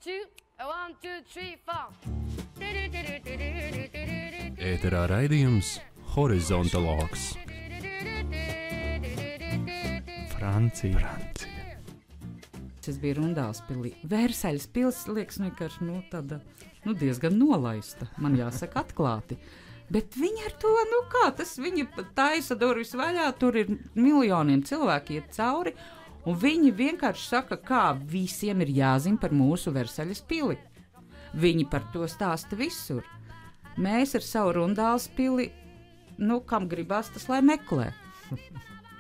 1, 2, 3, 4. Ēterā raidījums Horizontologs. Francija. Es biju Rundālspilī. Vērsaļas pils, liekas, vienkārši tāda, diezgan nolaista, man jāsaka atklāti. Bet viņi ar to, viņi taisa durvis vaļā, tur ir miljoniem cilvēki iet cauri, un viņi vienkārši saka, kā visiem ir jāzina par mūsu Vērsaļas pili. Viņi par to stāsta visur. Mēs ar savu Rundālspili, kam gribās, tas lai meklē.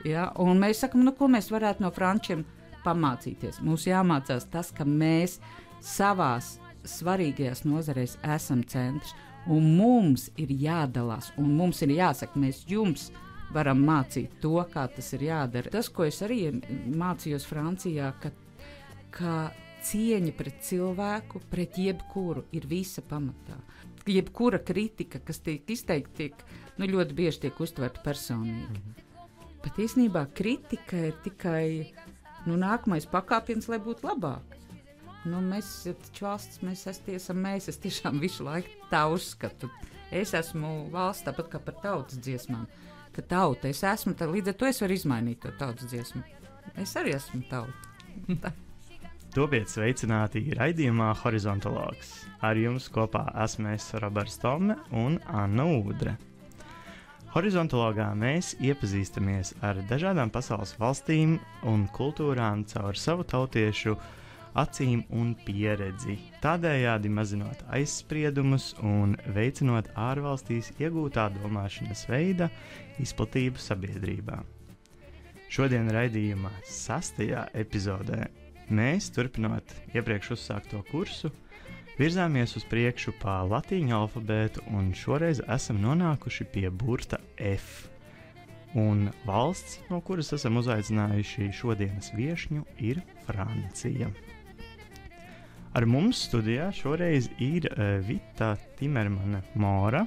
Ja? Un mēs sakam, ko mēs varētu no frančiem pamācīties. Mums jāmācās tas, ka mēs savās svarīgajās nozarēs esam centrs, un mums ir jādalās, un mums ir jāsaka, mēs jums varam mācīt to, kā tas ir jādara. Tas, ko es arī mācījos Francijā, ka cieņa pret cilvēku, pret jebkuru ir visa pamatā. Jebkura kritika, kas tiek izteikta, ļoti bieži tiek uztverta personīgi. Bet īstenībā kritika ir tikai nākamais pakāpiens, lai būtu labāk. Mēs taču valsts, es tiešām visu laiku tā uzskatu. Es esmu valsts tāpat kā par tautas dziesmām. Ka tauta es esmu, tad līdz ar to es varu izmainīt to tautas dziesmu. Es arī esmu tauta. Topiet sveicināti raidījumā Horizontologs. Ar jums kopā esmu es Roberts Tome un Anna Udre. Horizontologā mēs iepazīstamies ar dažādām pasaules valstīm un kultūrām caur savu tautiešu acīm un pieredzi, tādējādi mazinot aizspriedumus un veicinot ārvalstīs iegūtā domāšanas veida izplatību sabiedrībā. Šodien raidījumā 6. epizodē mēs, turpinot iepriekš uzsākto kursu, virzāmies uz priekšu pa latīņu alfabētu un šoreiz esam nonākuši pie burta F. Un valsts, no kuras esam uzaicinājuši šodienas viešņu, ir Francija. Ar mums studijā šoreiz ir Vita Timermane Mora,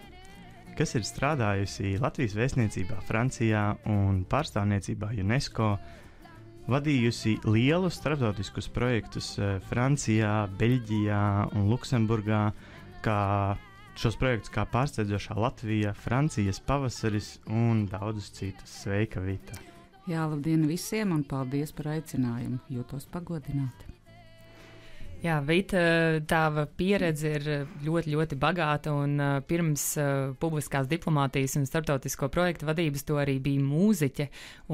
kas ir strādājusi Latvijas vēstniecībā Francijā un pārstāvniecībā UNESCO, vadījusi lielus starptautiskus projektus Francijā, Beļģijā un Luksemburgā, kā šos projektus kā pārsteidzošā Latvija, Francijas pavasaris un daudzus citus. Sveika, Vita! Jā, labdien visiem un paldies par aicinājumu, jūtos pagodināti. Jā, Vita, tava pieredze ir ļoti, ļoti bagāta un pirms publiskās diplomātijas un starptautisko projektu vadības to arī bija mūziķe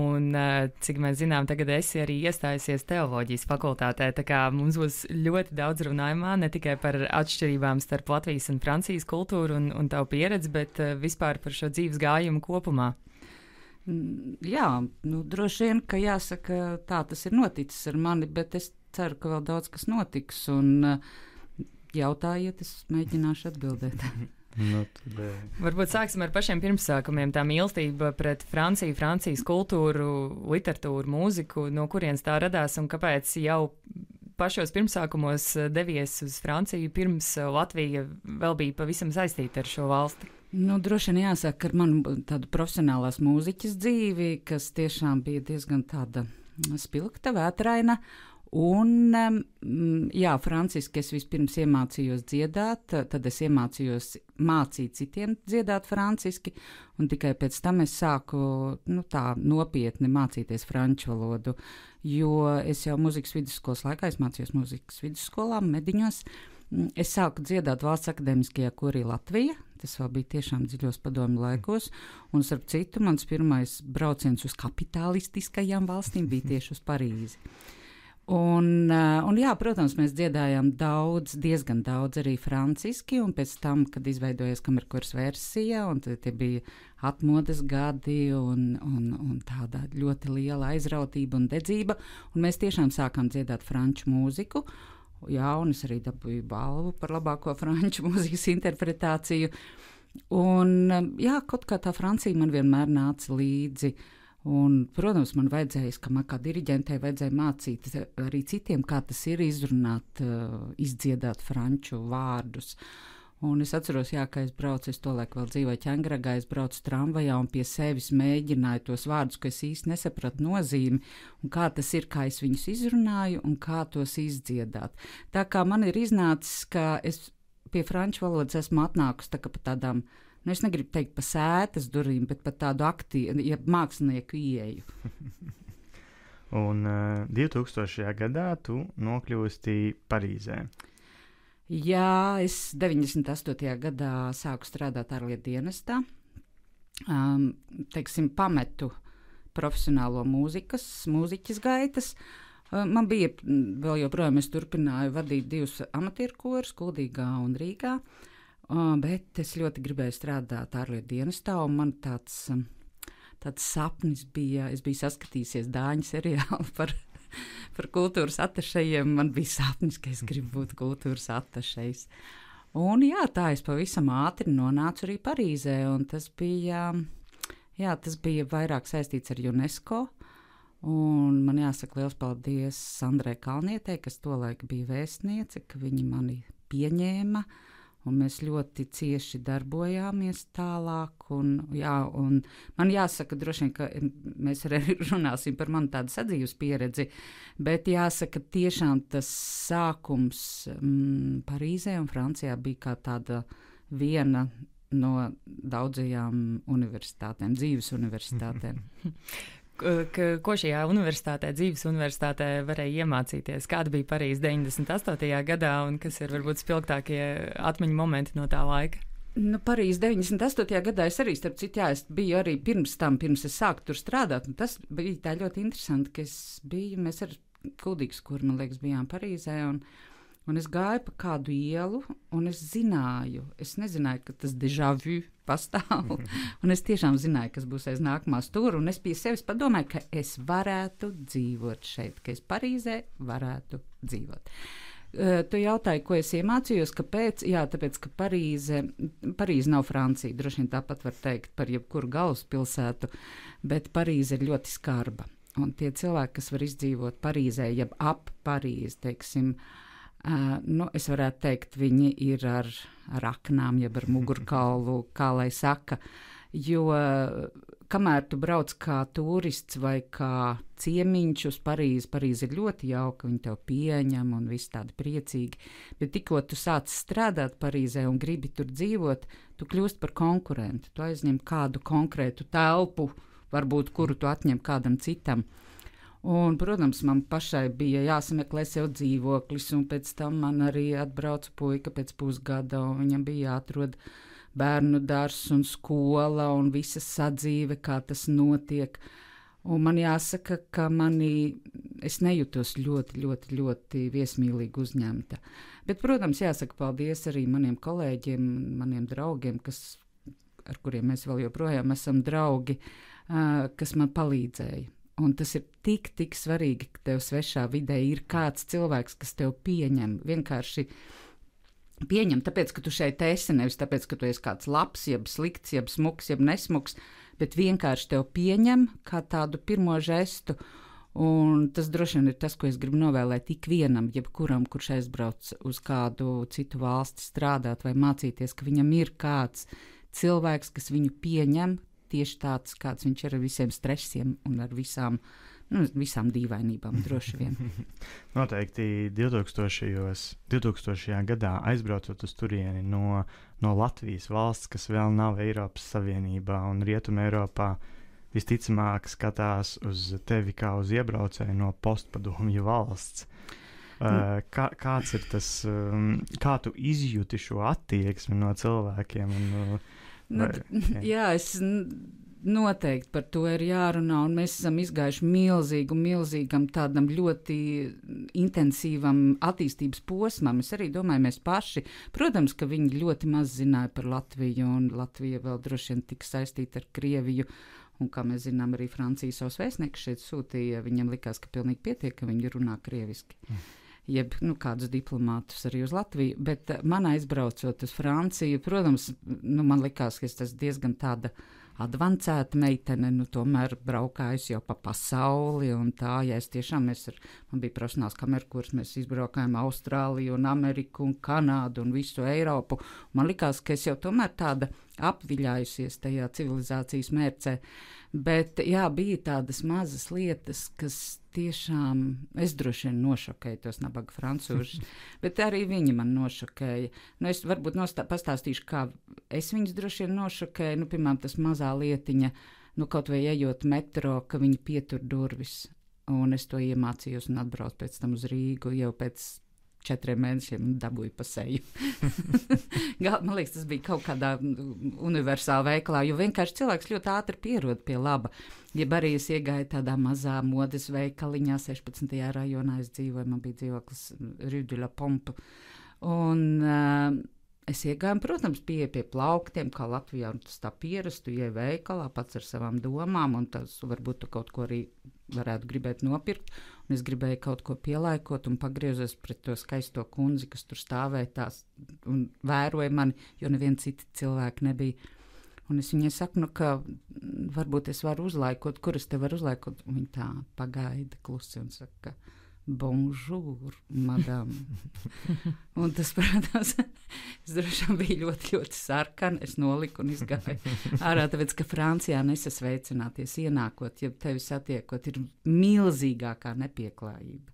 un, cik mēs zinām, tagad esi arī iestājusies teoloģijas fakultātē, tā kā mums būs ļoti daudz runājumā, ne tikai par atšķirībām starp Latvijas un Francijas kultūru un tavu pieredzi, bet vispār par šo dzīves gājumu kopumā. Jā, droši vien, ka jāsaka, tā tas ir noticis ar mani, bet es ceru, ka vēl daudz kas notiks, un jautājiet, es mēģināšu atbildēt. Varbūt sāksim ar pašiem pirmsākumiem. Tā mīlestība pret Franciju, Francijas kultūru, literatūru, mūziku, no kurienes tā radās un kāpēc jau pašos pirmsākumos devies uz Franciju, pirms Latvija vēl bija pavisam saistīta ar šo valsti? Droši vien jāsaka, ar manu tādu profesionālās mūziķas dzīvi, kas tiešām bija diezgan tāda spilgta, vētraina. Un, franciski es vispirms iemācījos dziedāt, tad es iemācījos mācīt citiem dziedāt franciski, un tikai pēc tam es sāku tā nopietni mācīties franču valodu, jo es jau mūzikas vidusskolas laikā, es mācījos mūzikas vidusskolā, Mediņos, es sāku dziedāt Valsts akadēmiskajā korī Latvija, tas vēl bija tiešām dziļos padomju laikos, un starp citu mans pirmais brauciens uz kapitalistiskajām valstīm bija tieši uz Parīzi. Un jā, protams, mēs dziedājām diezgan daudz arī franciski, un pēc tam, kad izveidojies kamerkoras versija, un tie bija atmodas gadi un tāda ļoti liela aizrautība un dedzība, un mēs tiešām sākām dziedāt franču mūziku, jā, un es arī dabūju balvu par labāko franču mūzikas interpretāciju, un jā, kaut kā tā Francija man vienmēr nāca līdzi. Un, protams, man kā diriģentei vajadzēja mācīt arī citiem, kā tas ir izrunāt, izdziedāt franču vārdus. Un es atceros, jā, ka es braucu, es tolaik vēl dzīvoju Ķengragā, es braucu tramvajā un pie sevis mēģināju tos vārdus, ko es īsti nesapratu nozīmi, un kā tas ir, kā es viņus izrunāju un kā tos izdziedāt. Tā kā man ir iznācis, ka es pie franču valodas esmu atnākusi tā kā pa tādām, nu es negribu teikt pa sētas durvīm, bet pa tādu aktīvu, ja mākslinieku ieeju. Un 2000. gadā tu nokļūsti Parīzē. Jā, es 98. gadā sāku strādāt ārlietu dienestā. Teiksim, pametu profesionālo mūziķas gaitas. Man bija vēl joprojām, es turpināju vadīt 2 amatieru korus, Kuldīgā un Rīgā, bet es ļoti gribēju strādāt ārlietu dienestā, un man tāds sapnis bija, es biju saskatījusies Dāņu seriālu par kultūras atašejiem, man bija sapnis, ka es gribu būt kultūras atašejs. Un jā, tā es pavisam ātri nonācu arī Parīzē, un tas bija vairāk saistīts ar UNESCO, un man jāsaka liels paldies Sandrai Kalnietei, kas tolaik bija vēstniece, ka viņi mani pieņēma, un mēs ļoti cieši darbojāmies tālāk, un man jāsaka droši vien, ka mēs arī runāsim par manu tādu sadzīves pieredzi, bet jāsaka tiešām tas sākums Parīzē un Francijā bija kā tāda viena no daudzajām universitātēm, dzīves universitātēm. Ko šajā universitātē, dzīves universitātē varēja iemācīties? Kāda bija Parīze 98. gadā un kas ir varbūt spilgtākie atmiņu momenti no tā laika? Nu, Parīze 98. gadā es arī, starp citu, es biju arī pirms es sāku tur strādāt, un tas bija tā ļoti interesanti, ka mēs ar Kuldīgas kuru, man liekas, bijām Parīzē, un es gāju pa kādu ielu, un es nezināju, ka tas déjà vu pastāv, un es tiešām zināju, kas būs aiz nākamā stūra, un es pie sevis padomāju, ka es varētu dzīvot šeit, ka es Parīzē varētu dzīvot. Tu jautāji, ko es iemācījos, kāpēc? Jā, tāpēc, ka Parīze nav Francija, droši vien tāpat var teikt par jebkuru galvaspilsētu, bet Parīze ir ļoti skarba, un tie cilvēki, kas var izdzīvot Parīzē, jeb ap Parīzi, teiksim, es varētu teikt, viņi ir ar aknām, jeb ar mugurkaulu, kā lai saka, jo kamēr tu brauc kā turists vai kā ciemiņš uz Parīzi ir ļoti jauka, viņi tev pieņem un viss tādi priecīgi, bet tikko tu sāc strādāt Parīzē un gribi tur dzīvot, tu kļūst par konkurentu, tu aizņem kādu konkrētu telpu, varbūt kuru tu atņem kādam citam. Un, protams, man pašai bija jāsameklē sev dzīvoklis, un pēc tam man arī atbrauca puika pēc pusgada, un viņam bija jāatrod bērnu dārzs un skola, un visa sadzīve, kā tas notiek. Un man jāsaka, ka es nejūtos ļoti, ļoti, ļoti viesmīlīgi uzņemta. Bet, protams, jāsaka paldies arī maniem kolēģiem, maniem draugiem, ar kuriem mēs vēl joprojām esam draugi, kas man palīdzēja. Un tas ir tik svarīgi, ka tev svešā vidē ir kāds cilvēks, kas tev pieņem, vienkārši pieņem, tāpēc, ka tu šeit esi, nevis tāpēc, ka tu esi kāds labs, jeb slikts, jeb smuks, jeb nesmuks, bet vienkārši tev pieņem kā tādu pirmo žestu, un tas droši vien ir tas, ko es gribu novēlēt ikvienam, jebkuram, kurš aizbrauc uz kādu citu valsti strādāt vai mācīties, ka viņam ir kāds cilvēks, kas viņu pieņem, tieši tāds, kāds viņš ir ar visiem stresiem un ar visām dīvainībām, droši vien. Noteikti 2000. gadā aizbraucot uz turieni no Latvijas valsts, kas vēl nav Eiropas Savienībā un Rietuma Eiropā, visticamāk skatās uz tevi kā uz iebraucēju no postpadomju valsts. Kāds ir tas, kā tu izjūti šo attieksmi no cilvēkiem? Es noteikti par to ir jārunā, un mēs esam izgājuši milzīgam tādam ļoti intensīvam attīstības posmam. Es arī domāju, mēs paši, protams, ka viņi ļoti maz zināja par Latviju, un Latvija vēl droši vien tika saistīta ar Krieviju, un kā mēs zinām, arī Francija savus vēstniekus šeit sūtīja, viņam likās, ka pilnīgi pietiek, ka viņi runā krieviski. Jeb kādus diplomātus arī uz Latviju, bet man aizbraucot uz Franciju, protams, man likās, ka tas diezgan tāda advancēta meitene, nu tomēr braukājusi jau pa pasauli un tā, ja es tiešām, man bija profesionāls kamerkurs, mēs izbraukājām Austrāliju un Ameriku un Kanādu un visu Eiropu. Man likās, ka es jau tomēr tāda apviļājusies tajā civilizācijas mērcē, bet jā, bija tādas mazas lietas, kas tiešām, es droši vien nošokēju tos nabaga francūžus, bet arī viņi man nošokēja. Nu, es varbūt pastāstīšu, kā es viņus droši vien nošokēju, nu, piemēram, tas mazā lietiņa, nu, kaut vai ejot metro, ka viņi pietur durvis, un es to iemācījos un atbraucu pēc tam uz Rīgu, jau pēc 4 mēnešiem dabūju pa seju. Man liekas, tas bija kaut kādā universālā veikalā, jo vienkārši cilvēks ļoti ātri pierod pie laba. Ja arī es iegāju tādā mazā modes veikaliņā, 16. rajonā es dzīvoju, man bija dzīvoklis Rue de la Pompe, un es iegāju, protams, pie plauktiem, kā Latvijā, un tas tā pierastu, ieeju veikalā pats ar savām domām, un tas varbūt tu kaut ko arī varētu gribēt nopirkt, un es gribēju kaut ko pielaikot un pagriezos pret to skaisto kundzi, kas tur stāvēja tās un vēroja mani, jo neviena cita cilvēka nebija. Un es viņai saku, nu, ka varbūt es varu uzlaikot, kur es te varu uzlaikot, un viņa tā pagaida klusi un saka, bonjour, madame. Un tas, protams, es droši vien biju ļoti, ļoti sarkana, es noliku un izgāju ārā, tāpēc, ka Francijā nesasveicināties ienākot, ja tevi satiekot, ir milzīgākā nepieklājība.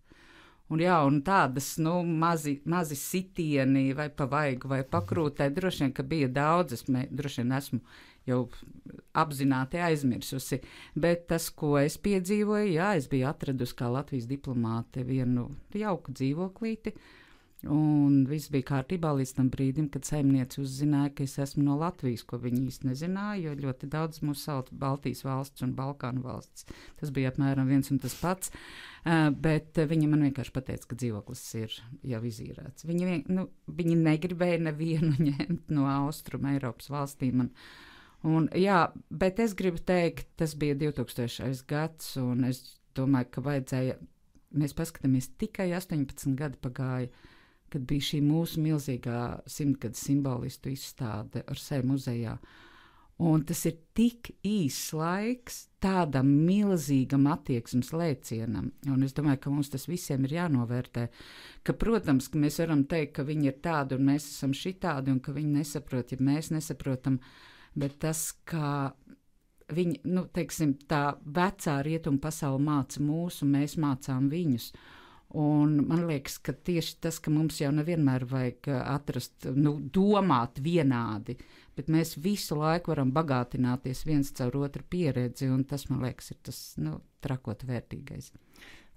Un jā, un tādas, nu, mazi sitieni vai pa vaigu vai pakrūtē, droši vien, ka bija daudz, es droši vien esmu jau apzināti aizmirsusi, bet tas, ko es piedzīvoju, jā, es biju atradusi kā Latvijas diplomāte vienu jauku dzīvoklīti, un viss bija kārtībā līdz tam brīdim, kad saimniece uzzināja, ka es esmu no Latvijas, ko viņi īsti nezināja, jo ļoti daudz mūsu sauc Baltijas valsts un Balkānu valsts. Tas bija apmēram viens un tas pats, bet viņa man vienkārši pateica, ka dzīvoklis ir jau izīrēts. Viņi negribēja nevienu ņemt no Austruma Eiropas valstīm, un jā, bet es gribu teikt, tas bija 2000. gads, un es domāju, ka vajadzēja, mēs paskatāmies, tikai 18 gadi pagāja, kad bija šī mūsu milzīgā 100-gadu simbolistu izstāde ar sevi muzejā. Un tas ir tik īss laiks tādam milzīgam attieksmes lēcienam. Un es domāju, ka mums tas visiem ir jānovērtē, ka, protams, ka mēs varam teikt, ka viņi ir tādi un mēs esam šitādi un ka viņi nesaprot, ja mēs nesaprotam, bet tas, ka viņi, nu, teiksim, tā vecā rietumu pasaule māca mūs un mēs mācām viņus. Un man liekas, ka tieši tas, ka mums jau nevienmēr vajag atrast, nu, domāt vienādi, bet mēs visu laiku varam bagātināties viens caur otru pieredzi, un tas, man liekas, ir tas, nu, trakot vērtīgais.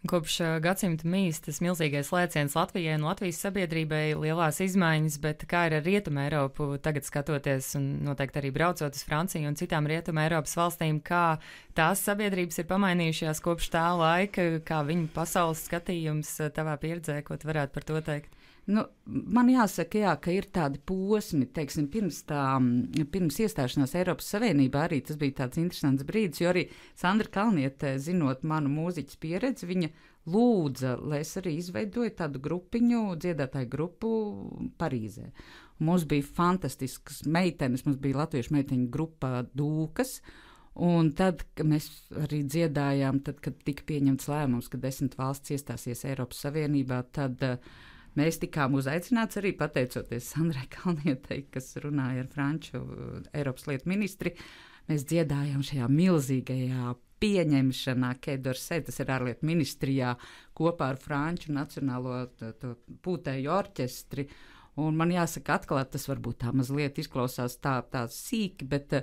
Kopš gadsimta mīs tas milzīgais lēciens Latvijai un Latvijas sabiedrībai lielās izmaiņas, bet kā ir ar Rietumu Eiropu tagad skatoties un noteikti arī braucot uz Franciju un citām Rietumu Eiropas valstīm, kā tās sabiedrības ir pamainījušās kopš tā laika, kā viņu pasaules skatījums tavā pieredzē, ko tu varētu par to teikt? Nu, man jāsaka, jā, ka ir tādi posmi, teiksim, pirms iestāšanās Eiropas Savienībā arī tas bija tāds interesants brīdis, jo arī Sandra Kalniete, zinot manu mūziķas pieredzi, viņa lūdza, lai es arī izveidoju tādu grupiņu, dziedātāju grupu Parīzē. Mums bija fantastiskas meitenes, mums bija latviešu meiteņu grupa Dūkas, un tad, kad mēs arī dziedājām, tad, kad tika pieņemts lēmums, ka 10 valsts iestāsies Eiropas Savienībā, tad mēs tikām uzaicināts arī pateicoties Sandrai Kalnietei, kas runāja ar franču Eiropas lietu ministri. Mēs dziedājām šajā milzīgajā pieņemšanā, Quai-d'Orsay, tas ir ārlietu ministrijā, kopā ar franču nacionālo to pūtēju orķestri. Un man jāsaka, atklāt, tas varbūt tā mazliet izklausās tā sīki, bet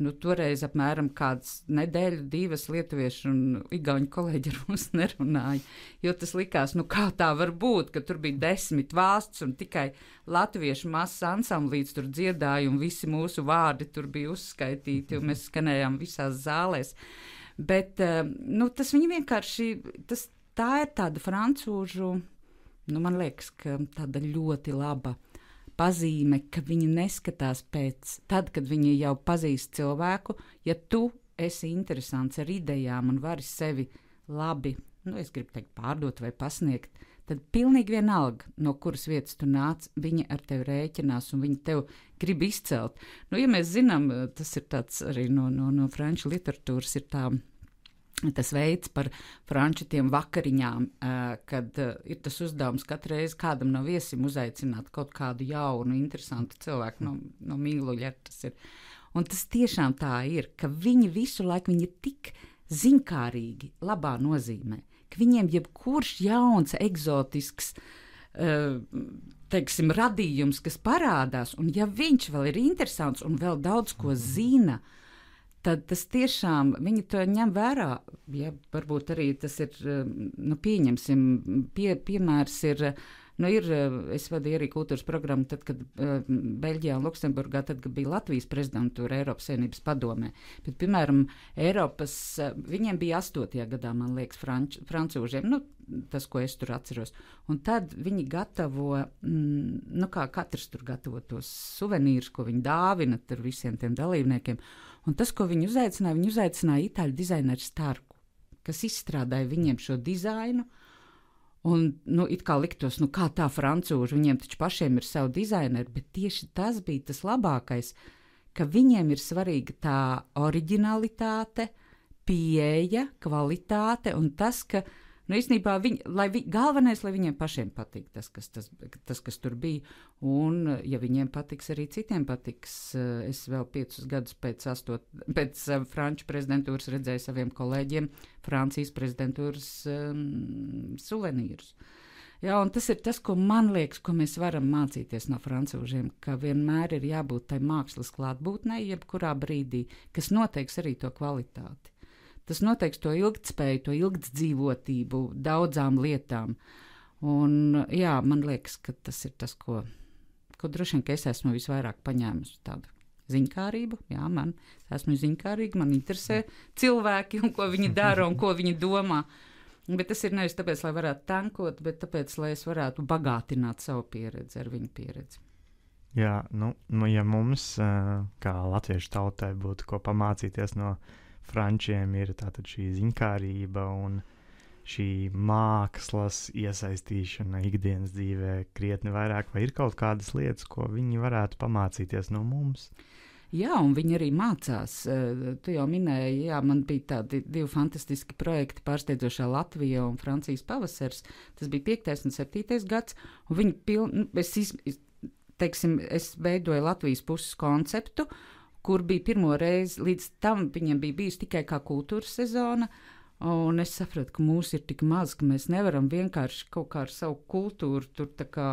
nu, toreiz apmēram kādas nedēļu, 2 lietuviešu un igauņu kolēģi ar mums nerunāja. Jo tas likās, nu kā tā var būt, ka tur bija 10 valsts un tikai latviešu mazs ansamblīts tur dziedāja un visi mūsu vārdi tur bija uzskaitīti un mēs skanējām visās zālēs. Bet nu, tas viņi vienkārši, tā ir tāda francūžu. Nu, man liekas, ka tāda ļoti laba pazīme, ka viņi neskatās pēc, tad, kad viņi jau pazīst cilvēku, ja tu esi interesants ar idejām un vari sevi labi, nu, es gribu teikt, pārdot vai pasniegt, tad pilnīgi vienalga, no kuras vietas tu nāc, viņi ar tevi rēķinās un viņi tev grib izcelt. Nu, ja mēs zinām, tas ir tāds arī no franču literatūras ir tas veids par franču tiem vakariņām, kad ir tas uzdevums katru reizi kādam no viesiem uzaicināt kaut kādu jaunu, interesantu cilvēku no mīluļa. Tas ir. Un tas tiešām tā ir, ka viņi visu laiku viņi ir tik ziņkārīgi, labā nozīmē, ka viņiem jebkurš jauns, eksotisks, teiksim, radījums, kas parādās, un ja viņš vēl ir interesants un vēl daudz ko zina, tad tas tiešām, viņi to ņem vērā. Ja, varbūt arī tas ir, pieņemsim, piemērs ir, es vadīju arī kultūras programmu, tad, kad Beļģijā un Luksemburgā, tad, kad bija Latvijas prezidentūra Eiropas Savienības padomē. Bet, piemēram, viņiem bija 8. gadā, man liekas, francūžiem, tas, ko es tur atceros. Un tad viņi gatavo, kā katrs tur gatavo tos suvenīrus, ko viņi dāvina tur visiem tiem dalībniekiem. Un tas, ko viņi uzaicināja itāļu dizaineru Starku, kas izstrādāja viņiem šo dizainu. Un, it kā liktos, kā tā francūži, viņiem taču pašiem ir savu dizaineru, bet tieši tas bija tas labākais, ka viņiem ir svarīga tā oriģinalitāte, pieeja, kvalitāte un tas, ka, īstenībā, galvenais, lai viņiem pašiem patīk tas, kas tur bija, un, ja viņiem patiks, arī citiem patiks. Es vēl 5 gadus pēc Franču prezidentūras redzēju saviem kolēģiem Francijas prezidentūras suvenīrus. Jā, un tas ir tas, ko man liekas, ko mēs varam mācīties no francūžiem, ka vienmēr ir jābūt tai mākslas klātbūtnei, jebkurā brīdī, kas noteiks arī to kvalitāti. Tas noteiks to ilgtspēju, to ilgtdzīvotību daudzām lietām. Un, jā, man liekas, ka tas ir tas, ko droši vien, ka es esmu visvairāk paņēmusi tādu ziņkārību. Jā, esmu ziņkārīga, man interesē cilvēki un ko viņi dara un ko viņi domā. Bet tas ir nevis tāpēc, lai varētu tankot, bet tāpēc, lai es varētu bagātināt savu pieredzi ar viņu pieredzi. Jā, ja mums, kā latviešu tautai, būtu ko pamācīties no frančiem, ir tātad šī ziņkārība un šī mākslas iesaistīšana ikdienas dzīvē krietni vairāk, vai ir kaut kādas lietas, ko viņi varētu pamācīties no mums? Jā, un viņi arī mācās. Tu jau minēji, man bija tādi 2 fantastiski projekti Pārsteidzošā Latvija un Francijas pavasars. Tas bija 5. un 7. gads, un viņi es veidoju Latvijas puses konceptu, kur bija pirmo reizi, līdz tam viņiem bija bijusi tikai kā kultūras sezona, un es sapratu, ka mūs ir tik maz, ka mēs nevaram vienkārši kaut kā ar savu kultūru tur tā kā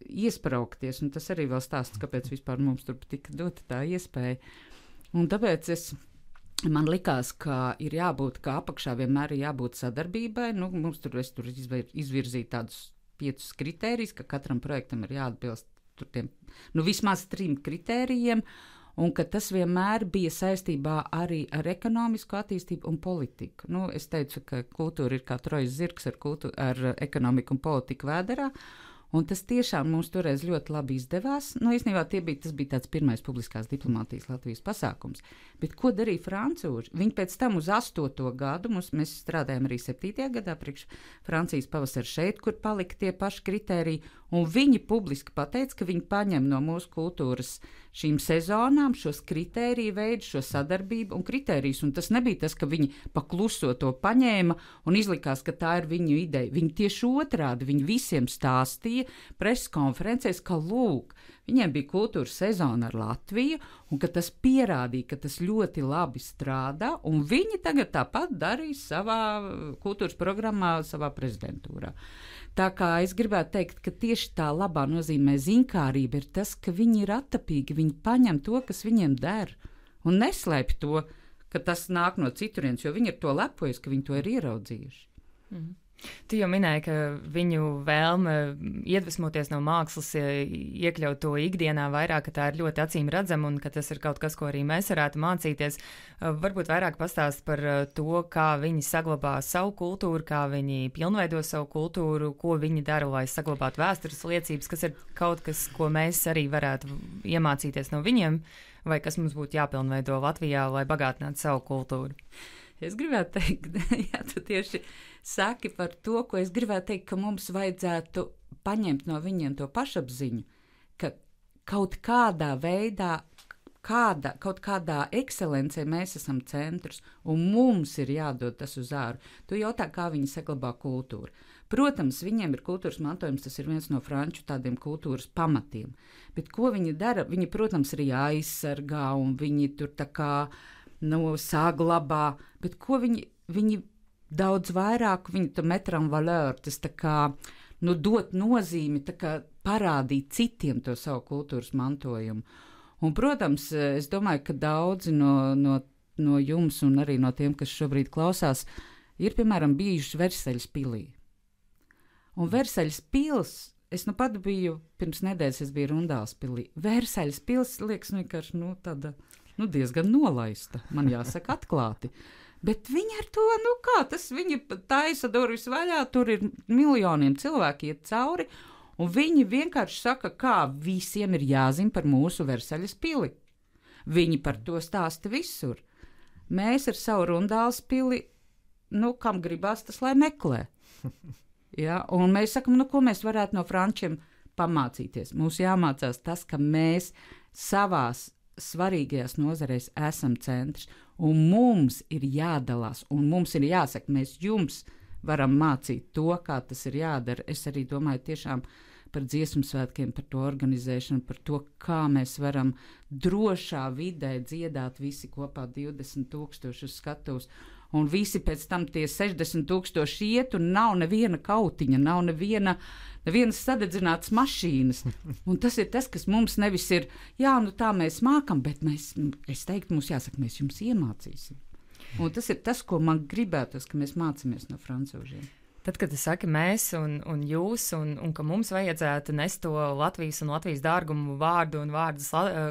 iespraukties, un tas arī vēl stāsts, kāpēc vispār mums tur tika dota tā iespēja. Un tāpēc man likās, ka ir jābūt, ka apakšā vienmēr ir jābūt sadarbībai, es tur izvirzīju tādus 5 kritērijus, ka katram projektam ir jāatbilst tur tiem, vismaz 3 kritērijiem, un ka tas vienmēr bija saistībā arī ar ekonomisko attīstību un politiku. Es teicu, ka kultūra ir kā trojas zirgs ar ekonomiku un politiku vēderā, un tas tiešām mums toreiz ļoti labi izdevās. Īstenībā tas bija tāds pirmais publiskās diplomātijas Latvijas pasākums. Bet ko darīja francūži? Viņi pēc tam uz 8. gadu, mēs strādājam arī 7. gadā priekš Francijas pavasara šeit, kur palika tie paši kritēriji, un viņi publiski pateica, ka viņi paņem no mūsu kultūras šīm sezonām šos kritēriju veidu, šo sadarbību un kritērijus, un tas nebija tas, ka viņi pakluso to paņēma un izlikās, ka tā ir viņu ideja. Viņi tieši otrādi, viņi visiem stāstīja preses konferencēs, ka lūk, viņiem bija kultūras sezona ar Latviju, un ka tas pierādīja, ka tas ļoti labi strādā, un viņi tagad tāpat darīs savā kultūras programmā, savā prezidentūrā. Tā kā es gribētu teikt, ka tieši tā labā nozīmē ziņkārība ir tas, ka viņi ir attapīgi, viņi paņem to, kas viņiem der, un neslēpj to, ka tas nāk no citurienes, jo viņi ir to lepojas, ka viņi to ir ieraudzījuši. Tu jau minēji, ka viņu vēlme iedvesmoties no mākslas, iekļaut to ikdienā vairāk, ka tā ir ļoti acīm redzama un ka tas ir kaut kas, ko arī mēs varētu mācīties. Varbūt vairāk pastāst par to, kā viņi saglabā savu kultūru, kā viņi pilnveido savu kultūru, ko viņi dara, lai saglabātu vēstures liecības, kas ir kaut kas, ko mēs arī varētu iemācīties no viņiem, vai kas mums būtu jāpilnveido Latvijā, lai bagātinātu savu kultūru. Es gribētu teikt, ja tu tieši saki par to, ko es gribētu teikt, ka mums vajadzētu paņemt no viņiem to pašapziņu, ka kaut kādā veidā, kaut kādā ekscelencē mēs esam centrs, un mums ir jādod tas uz āru. Tu jautā, kā viņi saglabā kultūru. Protams, viņiem ir kultūras mantojums, tas ir viens no franču tādiem kultūras pamatiem. Bet ko viņi dara? Viņi, protams, arī aizsargā, un viņi tur tā kā saglabā, bet ko viņi daudz vairāk, viņi to metram valeur, tas tā kā, dot nozīmi, tā kā parādīt citiem to savu kultūras mantojumu. Un, protams, es domāju, ka daudzi no jums un arī no tiem, kas šobrīd klausās, ir, piemēram, bijuši Versaļas pilī. Un Versaļas pils, es pat biju, pirms nedēļas es biju Rundāls pilī. Versaļas pils, liekas, vienkārši, tāda, diezgan nolaista, man jāsaka atklāti. Bet viņi ar to, viņi taisa durvis vaļā, tur ir miljoniem cilvēki iet cauri, un viņi vienkārši saka, kā visiem ir jāzina par mūsu Versaļas pili. Viņi par to stāsta visur. Mēs ar savu Rundāls pili, kam gribās, tas lai meklē. Ja? Un mēs sakam, ko mēs varētu no frančiem pamācīties. Mums jāmācās tas, ka mēs savās svarīgajās nozarēs esam centrs, un mums ir jādalās, un mums ir jāsaka, mēs jums varam mācīt to, kā tas ir jādara. Es arī domāju tiešām par dziesmu svētkiem, par to organizēšanu, par to, kā mēs varam drošā vidē dziedāt visi kopā 20,000 uz skatuves, un visi pēc tam tie 60,000 iet, un nav neviena kautiņa, nav nevienas sadedzinātas mašīnas. Un tas ir tas, kas mums nevis ir, tā mēs mākam, bet es teiktu, mums jāsaka, mēs jums iemācīsim. Un tas ir tas, ko man gribētos, ka mēs mācāmies no francūžiem. Tad, kad tu saki mēs un jūs, un ka mums vajadzētu nest to Latvijas un Latvijas dārgumu vārdu un vārdus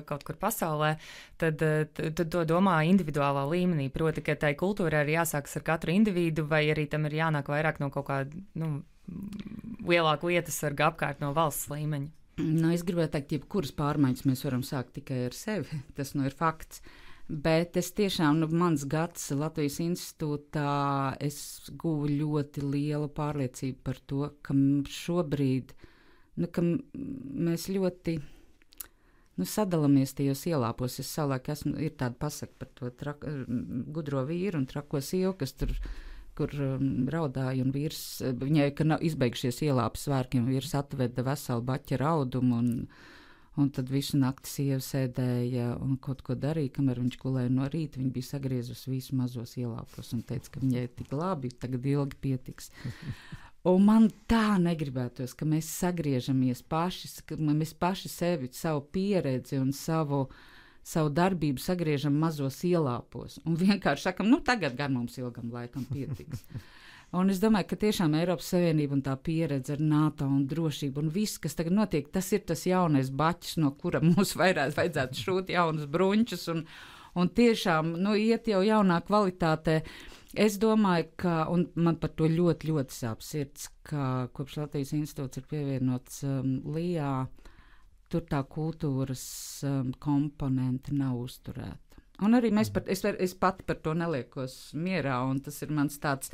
kaut kur pasaulē, tad to domā individuālā līmenī. Proti, ka tai kultūrai ir jāsākas ar katru individu, vai arī tam ir jānāk vairāk no kaut kāda lielāka lietasarga apkārt no valsts līmeņa. Es gribētu teikt, jebkuras pārmaiņas mēs varam sākt tikai ar sevi. Tas ir fakts. Bet es tiešām, mans gads Latvijas institūtā, es guvu ļoti lielu pārliecību par to, ka šobrīd, ka mēs ļoti sadalāmies tajos ielāpos. Es savulaik ir tāda pasaka par to gudro vīru un trako sievu, kas tur, kur raudāja, un vīrs, viņai, ka nav izbeigušies ielāpas svārkiem, vīrs atveda veselu baķa raudumu, un tad visu nakti sieva sēdēja un kaut ko darīja, kamēr viņš gulēja no rīta. Viņa bija sagriezusi visu mazos ielāpos un teica, ka viņai tik labi, tagad ilgi pietiks. Un man tā negribētos, ka mēs sagriežamies paši, ka mēs paši sevi, savu pieredzi un savu darbību sagriežam mazos ielāpos. Un vienkārši sakam, tagad gan mums ilgam laikam pietiks. Un es domāju, ka tiešām Eiropas Savienība un tā pieredze ar NATO un drošību un viss, kas tagad notiek, tas ir tas jaunais baķis, no kura mums vajadzētu šūt jaunas bruņķus un tiešām iet jau jaunā kvalitātē. Es domāju, ka, un man par to ļoti, ļoti sāp sirds, ka kopš Latvijas institūts ir pievienots LIA, tur tā kultūras komponente nav uzturēta. Un arī es pati par to neliekos mierā, un tas ir mans tāds,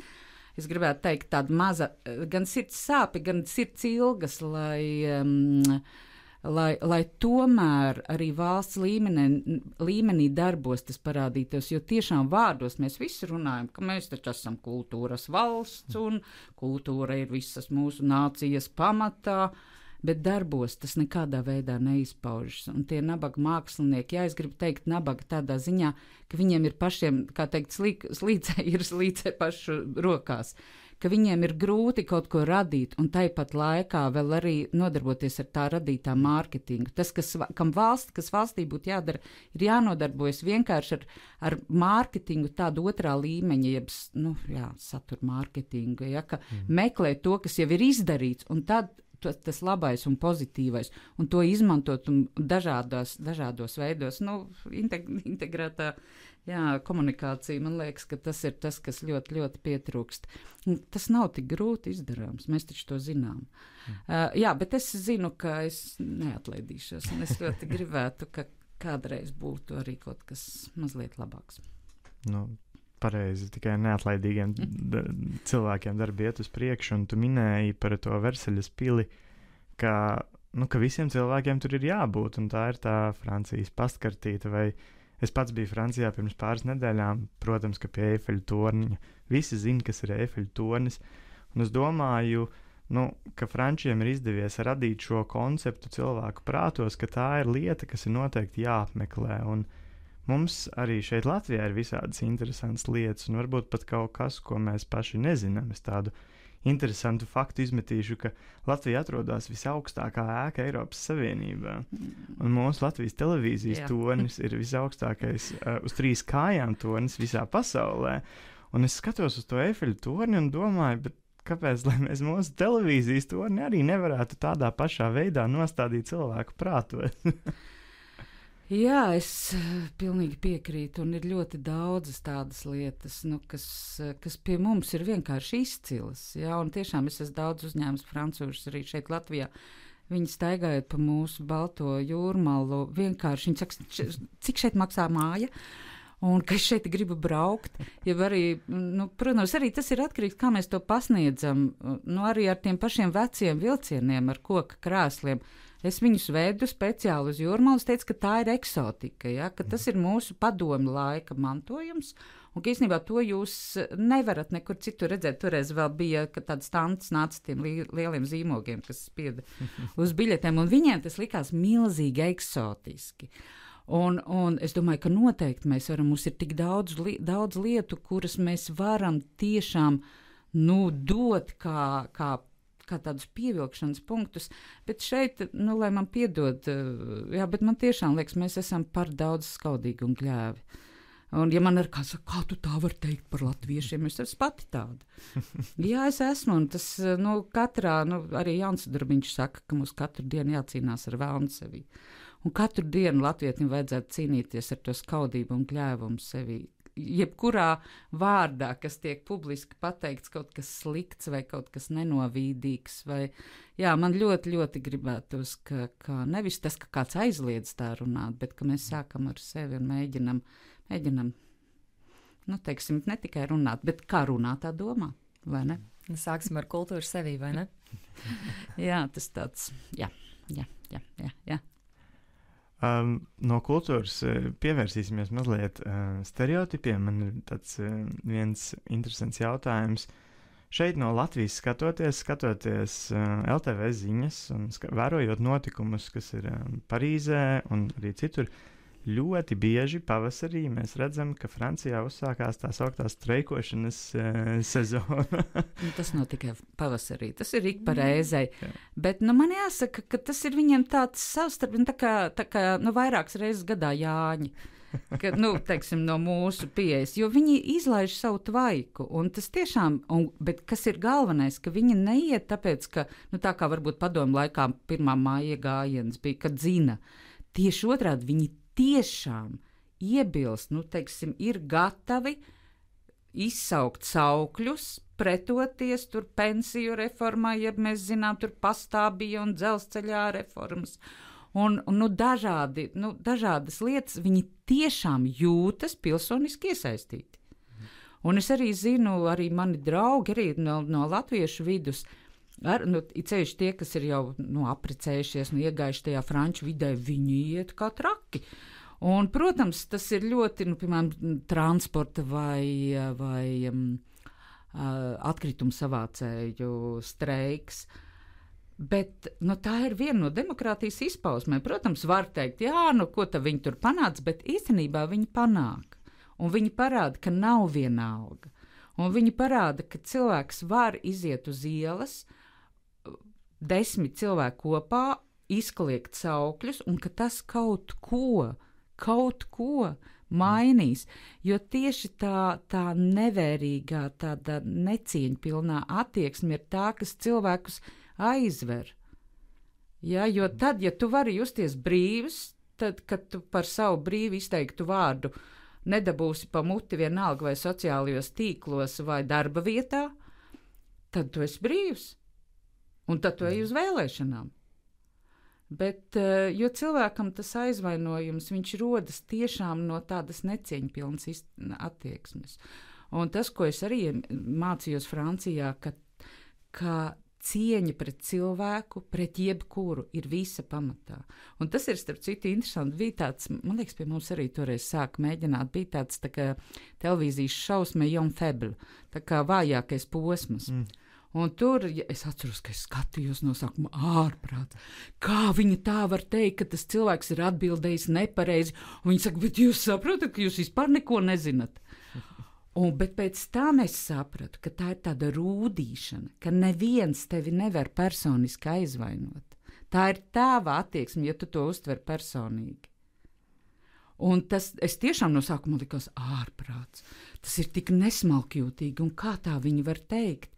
es gribētu teikt, tāda maza, gan sirds sāpi, gan sirds ilgas, lai tomēr arī valsts līmenī darbos tas parādītos, jo tiešām vārdos mēs visi runājam, ka mēs taču esam kultūras valsts, un kultūra ir visas mūsu nācijas pamatā, bet darbos tas nekādā veidā neizpaužas. Un tie nabaga mākslinieki, es gribu teikt nabaga tādā ziņā, ka viņiem ir pašiem, kā teikt, slīcē pašu rokās, ka viņiem ir grūti kaut ko radīt un tāpat laikā vēl arī nodarboties ar tā radītā mārketingu. Tas, kas valstī būtu jādara, ir jānodarbojas vienkārši ar mārketingu tādu otrā līmeņa, jeb, satura mārketingu, ka meklē to, kas jau ir izdarīts, un tad tas labais un pozitīvais, un to izmantot dažādos veidos, integrētā komunikācija, man liekas, ka tas ir tas, kas ļoti, ļoti pietrūkst. Tas nav tik grūti izdarāms, mēs taču to zinām. Bet es zinu, ka es neatlaidīšos, un es ļoti gribētu, ka kādreiz būtu arī kaut kas mazliet labāks. pareizi, tikai neatlaidīgiem cilvēkiem darbi iet uz priekšu, un tu minēji par to Versaļas pili, ka visiem cilvēkiem tur ir jābūt, un tā ir tā Francijas pastkartīte, vai es pats biju Francijā pirms pāris nedēļām, protams, ka pie Eifeļa torņa, visi zina, kas ir Eifeļa tornis, un es domāju, ka frančiem ir izdevies radīt šo konceptu cilvēku prātos, ka tā ir lieta, kas ir noteikti jāapmeklē, un mums arī šeit Latvijā ir visādas interesantas lietas, un varbūt pat kaut kas, ko mēs paši nezinām. Es tādu interesantu faktu izmetīšu, ka Latvija atrodas visaugstākā ēka Eiropas Savienībā, un mūsu Latvijas televīzijas tornis ir visaugstākais uz 3 kājām tornis visā pasaulē, un es skatos uz to Eifeļa torni un domāju, bet kāpēc, lai mēs mūsu televīzijas torni arī nevarētu tādā pašā veidā nostādīt cilvēku prātos? Jā, es pilnīgi piekrītu, un ir ļoti daudzas tādas lietas, kas pie mums ir vienkārši izcilas. Jā, un tiešām es esmu daudz uzņēmis francūžus arī šeit Latvijā. Viņi staigājot pa mūsu balto jūrmalu, vienkārši viņi saka, cik šeit maksā māja? Un ka es šeit gribu braukt, ja arī, protams, arī tas ir atkarīgs, kā mēs to pasniedzam, arī ar tiem pašiem veciem vilcieniem, ar koka krēsliem. Es viņus vedu speciāli uz jūrmalu, teicu, ka tā ir eksotika, ja, ka tas ir mūsu padomju laika mantojums, un ka īstenībā to jūs nevarat nekur citur redzēt. Toreiz vēl bija, ka tāds stants nāca tiem lieliem zīmogiem, kas spieda uz biļetēm, un viņiem tas likās milzīgi eksotiski. Un es domāju, ka noteikti mēs varam, mums ir tik daudz lietu, kuras mēs varam tiešām dot kā tādus pievilkšanas punktus, bet šeit, lai man piedod, bet man tiešām liekas, mēs esam par daudz skaudīgi un gļēvi. Un ja man ir kā tu tā var teikt par latviešiem, es esmu pati tāda. Jā, es esmu, un tas, katrā, arī Jauns Darbiņš saka, ka mums katru dienu jācīnās ar vēlnu sevī. Un katru dienu latvietim vajadzētu cīnīties ar to skaudību un gļēvumu sevī. Jebkurā vārdā, kas tiek publiski pateikts, kaut kas slikts vai kaut kas nenovīdīgs. Man ļoti, ļoti gribētos, ka nevis tas, ka kāds aizliedz tā runāt, bet ka mēs sākam ar sevi un mēģinam, teiksim, ne tikai runāt, bet kā runāt, tā domā, vai ne? Sāksim ar kultūru sevī, vai ne? Jā, tas tāds, jā. No kultūras pievērsīsimies mazliet stereotipiem. Man ir tāds viens interesants jautājums. Šeit no Latvijas skatoties LTV ziņas un vērojot notikumus, kas ir Parīzē un arī citur, ļoti bieži pavasarī mēs redzam, ka Francijā uzsākās tā sauktā streikošanas sezona. Tas nav tikai pavasarī, tas ir ik pa reizei. Bet man jāsaka, ka tas ir viņiem tāds savstarpīgi, tā kā vairākas reizes gadā Jāņi. Ka, teiksim, no mūsu pieejas, jo viņi izlaiž savu tvaiku, un tas tiešām, bet kas ir galvenais, ka viņi neiet tāpēc, ka, tā kā varbūt padomu laikā 1. māja gājiens bija, kad zina, tieši otrādi viņi tiešām iebilst, teiksim, ir gatavi izsaukt saukļus, pretoties tur pensiju reformai, ja mēs zinām, tur pastābija un dzelzceļā reformas. Un dažādas lietas, viņi tiešām jūtas pilsoniski iesaistīti. Un es arī zinu, arī mani draugi, arī no latviešu vidus, ceļš tie, kas ir jau apprecējušies, iegājuši tajā franču vidē, viņi iet kā traki. Un, protams, tas ir ļoti, piemēram, transporta vai atkritumu savācēju streiks. Bet tā ir viena no demokrātijas izpausmēm. Protams, var teikt, ko tad viņi tur panāca, bet īstenībā viņi panāk. Un viņi parāda, ka nav vienalga. Un viņi parāda, ka cilvēks var iziet uz ielas, 10 cilvēku kopā, izkliegt saukļus, un ka tas kaut ko mainīs. Jo tieši tā nevērīgā, tāda necieņpilnā attieksme ir tā, kas cilvēkus aizver. Ja, jo tad, ja tu vari justies brīvs, tad, kad tu par savu brīvi izteiktu vārdu nedabūsi pa muti vienalga vai sociālajos tīklos vai darba vietā, tad tu esi brīvs. Un tad tu ej uz vēlēšanām. Bet, jo cilvēkam tas aizvainojums, viņš rodas tiešām no tādas necieņpilnas attieksmes. Un tas, ko es arī mācījos Francijā, ka cieņa pret cilvēku, pret jebkuru ir visa pamatā. Un tas ir, starp citu, interesanti. Bija tāds, man liekas, pie mums arī toreiz sāka mēģināt, bija tāds tā kā televīzijas šaus Maillon Faible, tā kā vājākais posms. Un tur, es atceros, ka es skatījos no sākuma ārprāt. Kā viņa tā var teikt, ka tas cilvēks ir atbildējis nepareizi? Un viņa saka, bet jūs saprotat, ka jūs vispār neko nezināt. Bet pēc tam es sapratu, ka tā ir tāda rūdīšana, ka neviens tevi nevar personiski aizvainot. Tā ir tava attieksme, ja tu to uztver personīgi. Un tas, es tiešām no sākuma likos ārprāts. Tas ir tik nesmalkjūtīgi, un kā tā viņi var teikt?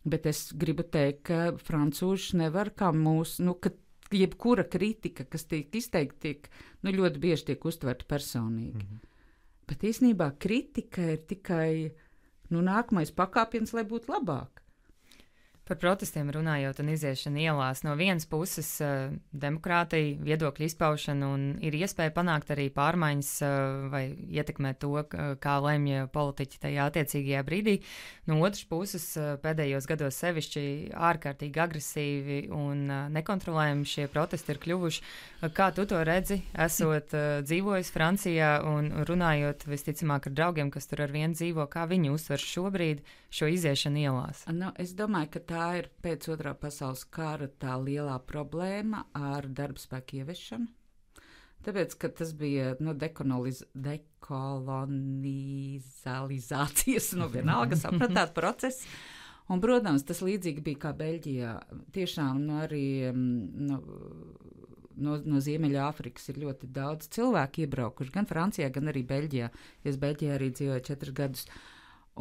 Bet es gribu teikt, ka francūži nevar kā mūsu, ka jebkura kritika, kas tiek izteikta, ļoti bieži tiek uztverta personīgi. Bet īstenībā kritika ir tikai nākamais pakāpiens, lai būtu labāk. Par protestiem runājot un iziešanu ielās, no vienas puses demokrātija, viedokļu izpaušana un ir iespēja panākt arī pārmaiņas vai ietekmēt to, kā lemj politiķi tajā attiecīgajā brīdī. No otras puses pēdējos gados sevišķi ārkārtīgi agresīvi un nekontrolējami šie protesti ir kļuvuši. Kā tu to redzi, esot dzīvojis Francijā un runājot visticamāk ar draugiem, kas tur ar vienu dzīvo, kā viņi uztver šobrīd šo iziešanu ielās? Es domāju, ka tā ir pēc Otrā pasaules kara tā lielā problēma ar darbspēku ieviešanu. Tāpēc, ka tas bija dekolonizācijas, vienalga sapratāt process. Un, protams, tas līdzīgi bija kā Beļģijā. Tiešām arī no Ziemeļāfrikas ir ļoti daudz cilvēku iebraukuši, gan Francijā, gan arī Beļģijā. Es Beļģijā arī dzīvoju 4 gadus.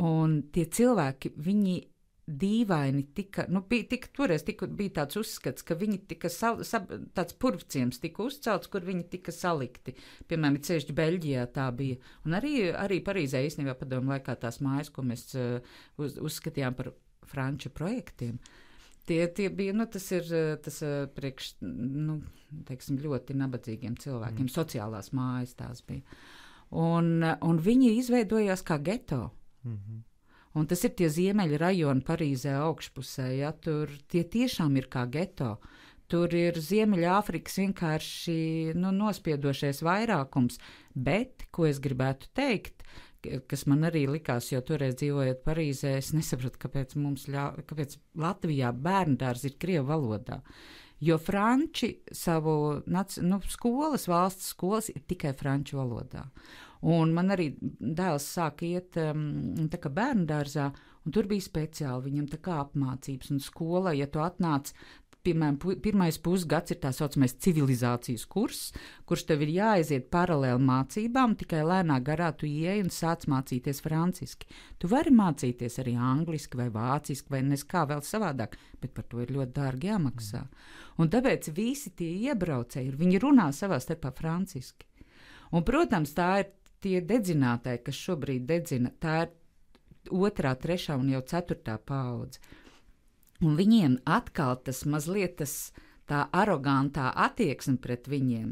Un tie cilvēki, viņi dīvaini toreiz bija tāds uzskats, ka viņi tika tāds purvciems tika uzcelts, kur viņi tika salikti. Piemēram, ceļš Beļģijā tā bija. Un arī Parīzē īstenībā padomu laikā tās mājas, ko mēs uzskatījām par franču projektiem. Tie bija, tas priekš, teiksim, ļoti nabadzīgiem cilvēkiem, sociālās mājas tās bija. Un viņi izveidojās kā geto. Un tas ir tie ziemeļa rajoni Parīzē augšpusē, ja, tur tie tiešām ir kā geto. Tur ir Ziemeļāfrikas vienkārši nospiedošais vairākums, bet, ko es gribētu teikt, kas man arī likās, jo toreiz dzīvojot Parīzē, es nesapratu, kāpēc Latvijā bērndārs ir krievu valodā. Jo franči savu valsts skolas ir tikai franču valodā. Un man arī dēls sāka iet tā kā bērnu dārzā, un tur bija speciāli viņam tā kā apmācības. Un skolā, ja tu atnāc, piemēram, pirmais pusgads ir tā saucamais civilizācijas kurs, kurš tev ir jāaiziet paralēli mācībām, tikai lēnā garā tu ieej un sāc mācīties franciski. Tu vari mācīties arī angliski vai vāciski vai neskā vēl savādāk, bet par to ir ļoti dārgi jāmaksā. Un tāpēc visi tie iebraucēji, viņi runā savā starpā franciski. Un, protams, tā ir tie dedzinātāji, kas šobrīd dedzina, tā ir 2., 3. un jau 4. paudze. Un viņiem atkal tas mazliet tā arogantā attieksme pret viņiem,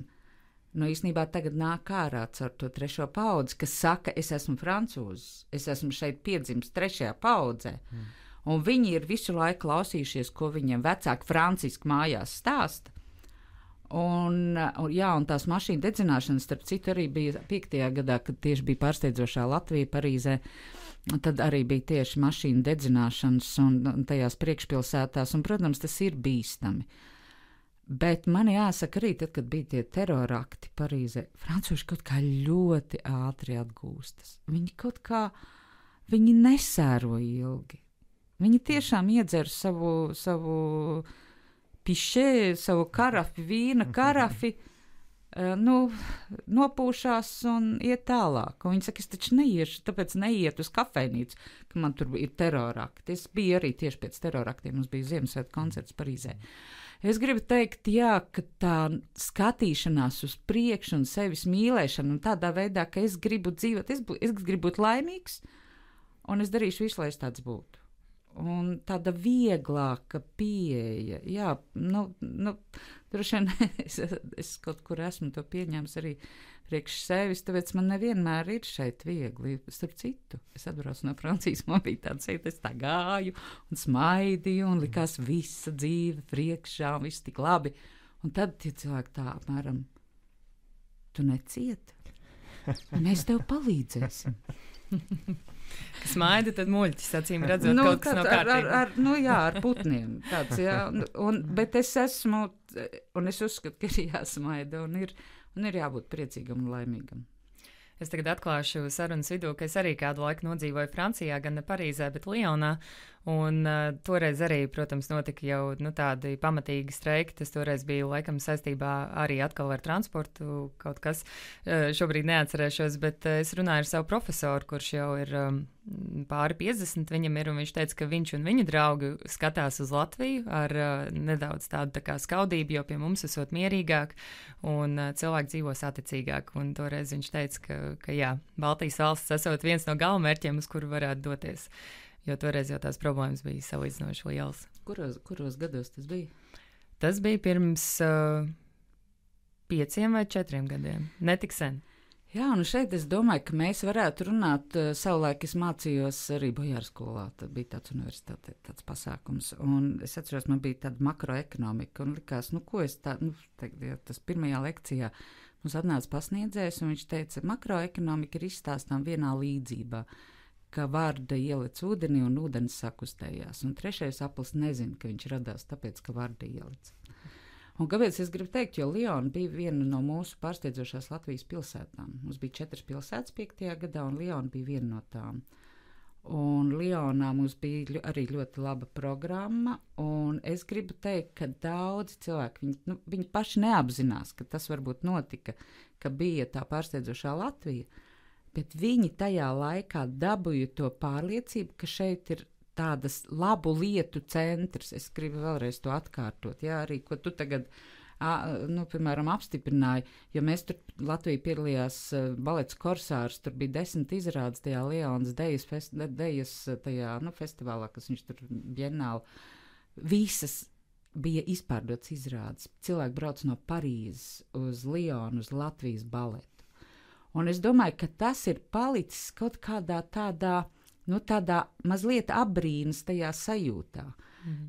īstenībā tagad nāk ārā caur to 3. paudzi, kas saka, es esmu francūzis, es esmu šeit piedzimis 3. paudzē. Un viņi ir visu laiku klausījušies, ko viņiem vecāki franciski mājās stāsta. Un tās mašīnu dedzināšanas, starp citu, arī bija 5. gadā, kad tieši bija pārsteidzošā Latvija, Parīzē. Tad arī bija tieši mašīnu dedzināšanas un tajās priekšpilsētās, un, protams, tas ir bīstami. Bet man jāsaka arī, tad, kad bija tie terorakti Parīzē, francūži kaut kā ļoti ātri atgūstas. Viņi nesēro ilgi. Viņi tiešām iedzer savu pišē, savu karafi, vīna karafi, nopūšās un iet tālāk. Un viņi saka, es taču neiešu, tāpēc neiet uz kafejnīcu, ka man tur ir terorakti. Es biju arī tieši pēc teroraktiem, mums bija Ziemassvētku koncerts Parīzē. Es gribu teikt, ka tā skatīšanās uz priekšu un sevis mīlēšana un tādā veidā, ka es gribu dzīvot, es gribu būt laimīgs un es darīšu visu, lai es tāds būtu. un tāda vieglāka pieeja. Jā, droši vien es kaut kur esmu to pieņēmis arī priekš sevis, tāpēc man nevienmēr ir šeit viegli. Starp citu, es atbraucu no Francijas, man bija tāds šeit, es tā gāju un smaidīju un likās visa dzīve priekšā un viss tik labi. Un tad tie cilvēki tā apmēram, tu necieti, mēs tev palīdzēsim. Smaida, tad muļķis, acīm redzot, kaut kas nav kārtībā. Ar putniem. Tāds, jā, bet es esmu, un es uzskatu, ka ir jāsmaida, un ir jābūt priecīgam un laimīgam. Es tagad atklāšu sarunas vidū, ka es arī kādu laiku nodzīvoju Francijā, gan ne Parīzē, bet Lionā. Un toreiz arī, protams, notika jau tādi pamatīgi streiki. Tas toreiz bija laikam saistībā arī atkal ar transportu kaut kas. Šobrīd neatcerēšos, bet es runāju ar savu profesoru, kurš jau ir pāri 50 viņam ir, un viņš teica, ka viņš un viņa draugi skatās uz Latviju ar nedaudz tādu tā kā skaudību, jo pie mums esot mierīgāk un cilvēki dzīvo saticīgāk. Un toreiz viņš teica, ka jā, Baltijas valsts esot viens no galvmērķiem, uz kuru varētu doties. Jo toreiz jau tās problēmas bija salīdzinoši lielas. Kuros gados tas bija? Tas bija pirms 5 vai 4 gadiem. Netik sen. Jā, un šeit es domāju, ka mēs varētu runāt. Savulaik es mācījos arī Bojārskolā. Tad bija tāds universitāte, tāds pasākums. Un es atceros, man bija tāda makroekonomika. Un likās, ko es tādu, tas pirmajā lekcijā mums atnāca pasniedzējs, un viņš teica, makroekonomika ir izstāstām vienā līdzībā, ka varda ielic ūdenī un ūdens sakustējās. Un trešais aplis nezina, ka viņš radās tāpēc, ka varda ielic. Un kāpēc es gribu teikt, jo Liona bija viena no mūsu pārsteidzošās Latvijas pilsētām. Mums bija 4 pilsētas 5. gadā, un Liona bija viena no tām. Un Lionā mums bija arī ļoti laba programma, un es gribu teikt, ka daudzi cilvēki, viņi paši neapzinās, ka tas varbūt notika, ka bija tā pārsteidzošā Latvija, bet viņi tajā laikā dabūja to pārliecību, ka šeit ir tādas labu lietu centrs. Es gribu vēlreiz to atkārtot, jā, arī, ko tu tagad, piemēram, apstiprināji, jo mēs tur Latvija piedalījās balets Korsārs, tur bija 10 izrādes tajā Lionas dejas tajā, festivālā, kas viņš tur bienāli, visas bija izpārdots izrādes. Cilvēki brauc no Parīzes uz Lionu, uz Latvijas baletu. Un es domāju, ka tas ir palicis kaut kādā tādā mazliet apbrīnas tajā sajūtā.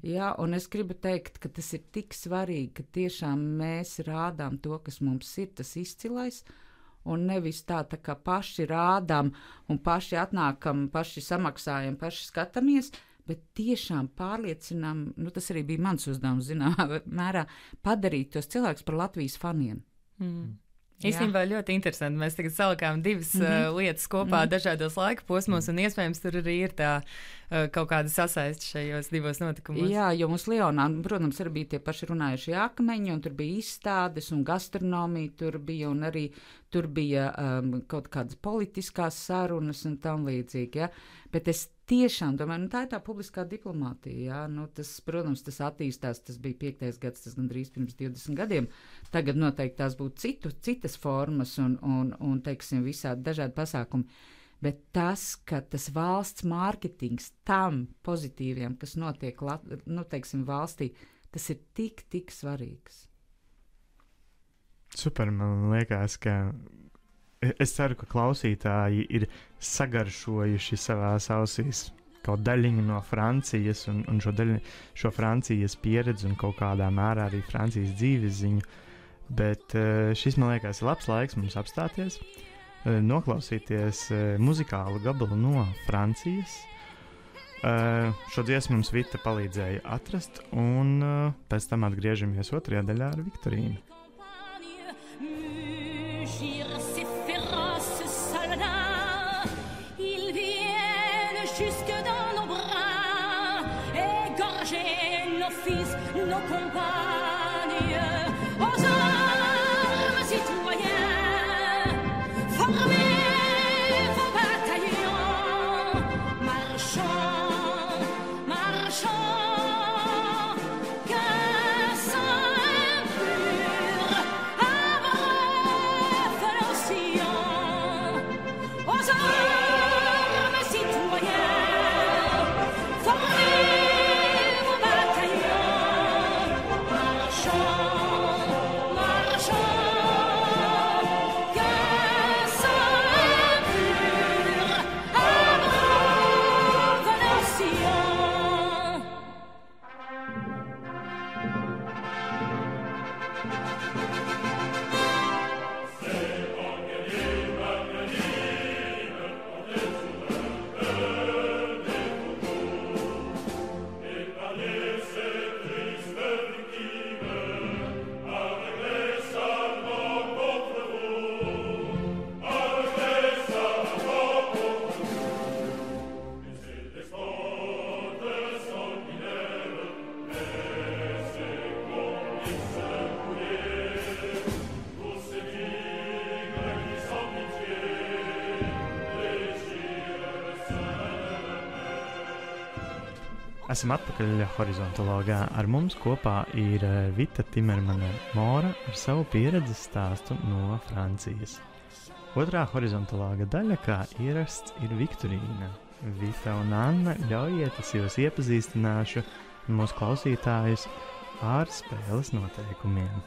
Jā, un es gribu teikt, ka tas ir tik svarīgi, ka tiešām mēs rādām to, kas mums ir, tas izcilais, un nevis tā kā paši rādām un paši atnākam, paši samaksājam, paši skatāmies, bet tiešām pārliecinām, tas arī bija mans uzdevums, zināmā mērā, padarīt tos cilvēkus par Latvijas faniem. Īstenībā ļoti interesanti. Mēs tagad salikām divas lietas kopā dažādos laika posmos, un iespējams tur arī ir tā kaut kāda sasaiste šajos divos notikumos. Jā, jo mums Lionā, protams, arī bija tie paši runājušie akmeņi, un tur bija izstādes un gastronomija tur bija, un arī tur bija kaut kādas politiskās sarunas un tam līdzīgi, ja? Bet es tiešām domāju, tā ir tā publiskā diplomātija, jā, tas, protams, tas attīstās, tas bija 5. gads, tas gandrīz pirms 20 gadiem, tagad noteikti tās būtu citas formas un teiksim, visādi dažādi pasākumi, bet tas, ka tas valsts mārketings tam pozitīviem, kas notiek, teiksim, valstī, tas ir tik svarīgs. Super, man liekas, ka es ceru, ka klausītāji ir sagaršojuši savās ausīs kaut daļiņu no Francijas un šo Francijas pieredzi un kaut kādā mērā arī Francijas dzīves ziņu, bet šis, man liekas, ir labs laiks mums apstāties, noklausīties muzikālu gabalu no Francijas. Šo dziesmu mums Vita palīdzēja atrast, un pēc tam atgriežamies 2. daļā ar Viktorīnu. Jusque dans nos bras, égorger nos fils, nos compagnes, aux armes citoyens, formez vos bataillons, marchons, qu'un sang impur abreuve nos sillons, aux armes citoyens. For me! Esam atpakaļ horizontologā. Ar mums kopā ir Vita Timermane Mora ar savu pieredzes stāstu no Francijas. Otrā horizontologa daļa, kā ierasts, ir Viktorīna. Vita un Anna, ļaujiet, es jūs iepazīstināšu mūsu klausītājus ar spēles noteikumiem.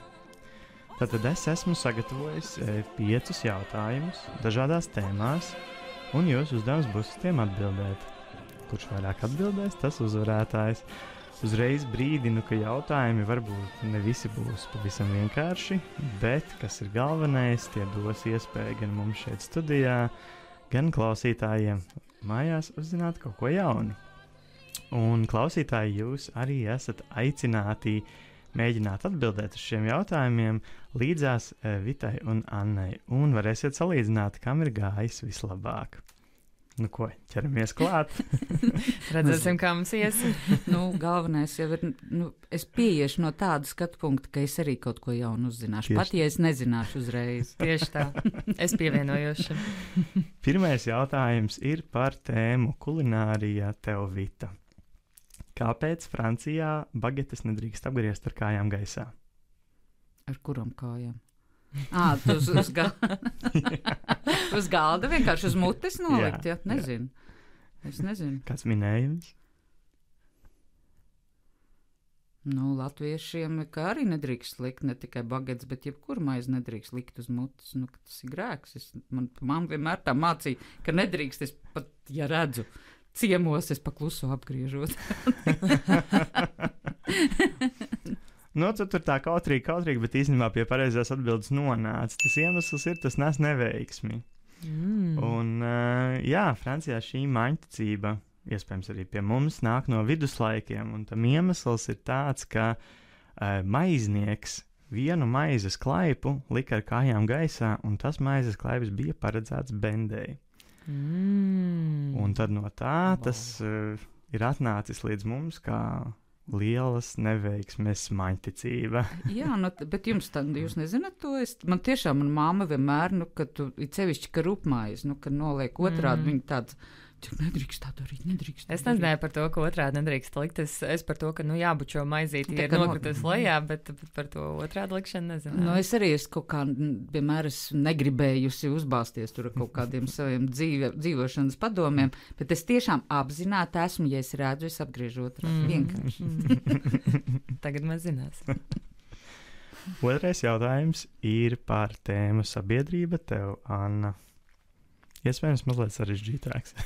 Tātad es esmu sagatavojis 5 jautājumus dažādās tēmās, un jūsu uzdevums būs uz tiem atbildēt. Kurš vairāk atbildēs, tas uzvarētājs. Uzreiz brīdinu, ka jautājumi varbūt ne visi būs pavisam vienkārši, bet, kas ir galvenais, tie dos iespēju gan mums šeit studijā, gan klausītājiem mājās uzzināt kaut ko jaunu. Un klausītāji, jūs arī esat aicināti mēģināt atbildēt uz šiem jautājumiem līdzās Vitai un Annai, un varēsiet salīdzināt, kam ir gājis vislabāk. Nu ko, ķeramies klāt. Redzēsim, kā mums ies. Galvenais jau ir, es pieiešu no tāda skatu punkta, ka es arī kaut ko jaunu uzzināšu. Tieši. Pat, ja es nezināšu uzreiz. Tieši tā. Es pievienojos šim. Pirmais jautājums ir par tēmu kulinārija tev, Vita. Kāpēc Francijā bagetes nedrīkst apgriezt ar kājām gaisā? Ar kuram kājām? Tu uz galda vienkārši uz mutes nolikt, jā? Nezinu. Es nezinu. Kāds minējums? Latviešiem kā arī nedrīkst likt ne tikai bagetes, bet jebkuru maizi nedrīkst likt uz mutes. Tas ir grēks. Man vienmēr tā mācīja, ka nedrīkst. Es pat, ja redzu ciemos, es pakluso apgriežot. Tur tā kautrīgi, bet īstenībā pie pareizās atbildes nonāca. Tas iemesls ir, tas nes neveiksmi. Un, Francijā šī maņticība, iespējams arī pie mums, nāk no viduslaikiem, un tam iemesls ir tāds, ka maiznieks vienu maizes klaipu lika ar kājām gaisā, un tas maizes klaips bija paredzēts bendei. Un tad no tā tas ir atnācis līdz mums kā lielas neveiksmes maņticība. Jā, bet jūs nezināt to? Man tiešām, man māma vienmēr, kad tu, cevišķi, ka rupmaiz, kad noliek otrādi, viņa tāds, nedrīkst tā darīt, nedrīkst. Es nezināju par to, ka otrādi nedrīkst likt. Es par to, ka, jābučo maizīti ir nokritus lejā, bet par to otrādi likšanu nezināju. Es arī kaut kā, vienmēr negribējusi uzbāzties tur ar kaut kādiem saviem dzīvošanas padomiem, bet es tiešām apzināti esmu, ja es redzu, es apgriežu otrādi. Vienkārši. Tagad mēs zināsim. Otrais jautājums ir par tēmu sabiedrība tev, Anna. Iespējams, mazliet sarežģītāks.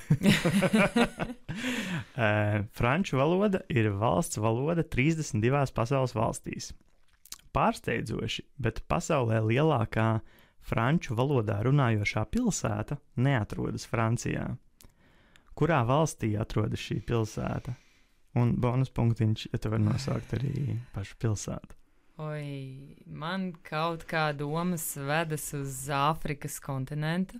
Franču valoda ir valsts valoda 32 pasaules valstīs. Pārsteidzoši, bet pasaulē lielākā franču valodā runājošā pilsēta neatrodas Francijā. Kurā valstī atrodas šī pilsēta? Un bonus punktiņš, ja tu vari nosaukt arī pašu pilsētu. Man kaut kā domas vedas uz Āfrikas kontinentu,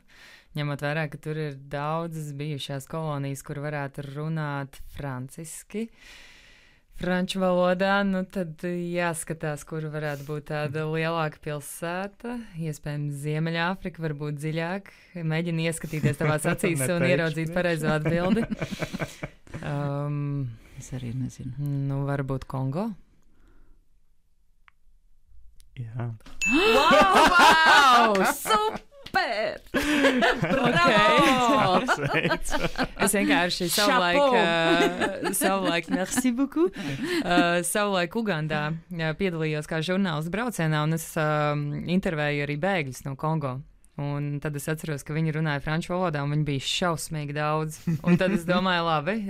ņemot vērā, ka tur ir daudzas bijušās kolonijas, kur varētu runāt franciski, franču valodā, tad jāskatās, kur varētu būt tāda lielāka pilsēta, iespējams Ziemeļāfrika, varbūt dziļāk, mēģini ieskatīties tavās acīs un ieraudzīt pareizo atbildi. Es arī nezinu. Varbūt Kongo? Jā. Wow! Super! Bravo! Es vienkārši savulaik, merci beaucoup, savulaik Ugandā piedalījos kā žurnālists braucienā, un es intervēju arī bēgļus no Kongo. Un tad es atceros, ka viņi runāja franču valodā, un viņi bija šausmīgi daudz. Un tad es domāju, labi,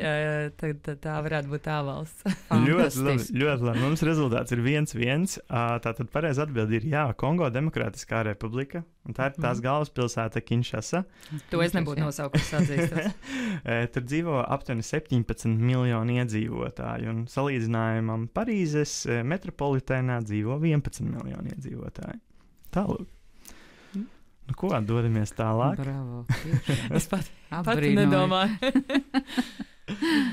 tad tā varētu būt tā valsts. Ļoti labi. Mums rezultāts ir 1-1. Tātad pareizi atbildi ir jā, Kongo Demokrātiskā republika. Un tā ir tās galvaspilsēta Kinshasa. To es nebūtu nosaukusi atzīstos. Tur dzīvo aptuveni 17 miljoni iedzīvotāju. Un salīdzinājumam Parīzes metropolitēnā dzīvo 11 miljoni iedzīvotāju. Tālūk. Ko, dodamies tālāk? Bravo. Es pat nedomāju.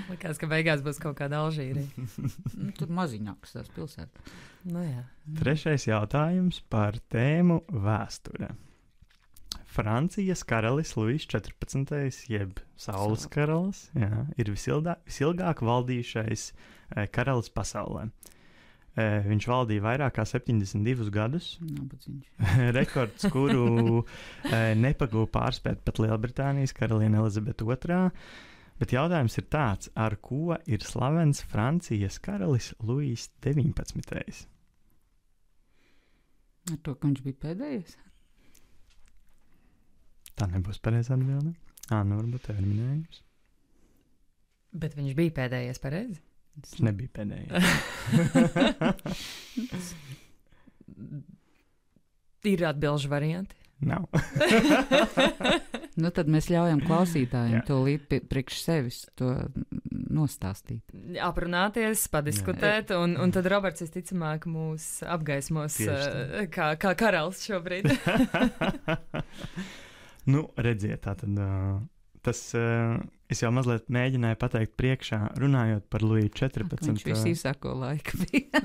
Likās, ka beigās būs kaut kāda Alžīrija. Tur maziņākas tās pilsētas. Jā. Trešais jautājums par tēmu vēsture. Francijas karalis Luis 14. jeb Saules karalis, jā, ir visilgāk valdījušais karalis pasaulē. Viņš valdīja vairāk kā 72 gadus. Rekords, kuru nepagūva pārspēt pat Lielbritānijas karaliene Elizabete II. Bet jautājums ir tāds, ar ko ir slavens Francijas karalis Luis 19. Ar to, ka viņš bija pēdējais? Tā nebūs pareizā atbilde. Varbūt tev ir minējums. Bet viņš bija pēdējais pareizi? Viņš nebija pēdējais. Ir atbilžu varianti? Nav. Nu, tad mēs ļaujam klausītājiem to līdz priekš sevis to nostāstīt. Aprunāties, padiskutēt, un tad Roberts visticamāk mūs apgaismos kā karalis šobrīd. Nu, redziet, tātad tas, es jau mazliet mēģināju pateikt priekšā, runājot par Luiju 14. Viņš visīsāko laiku bija.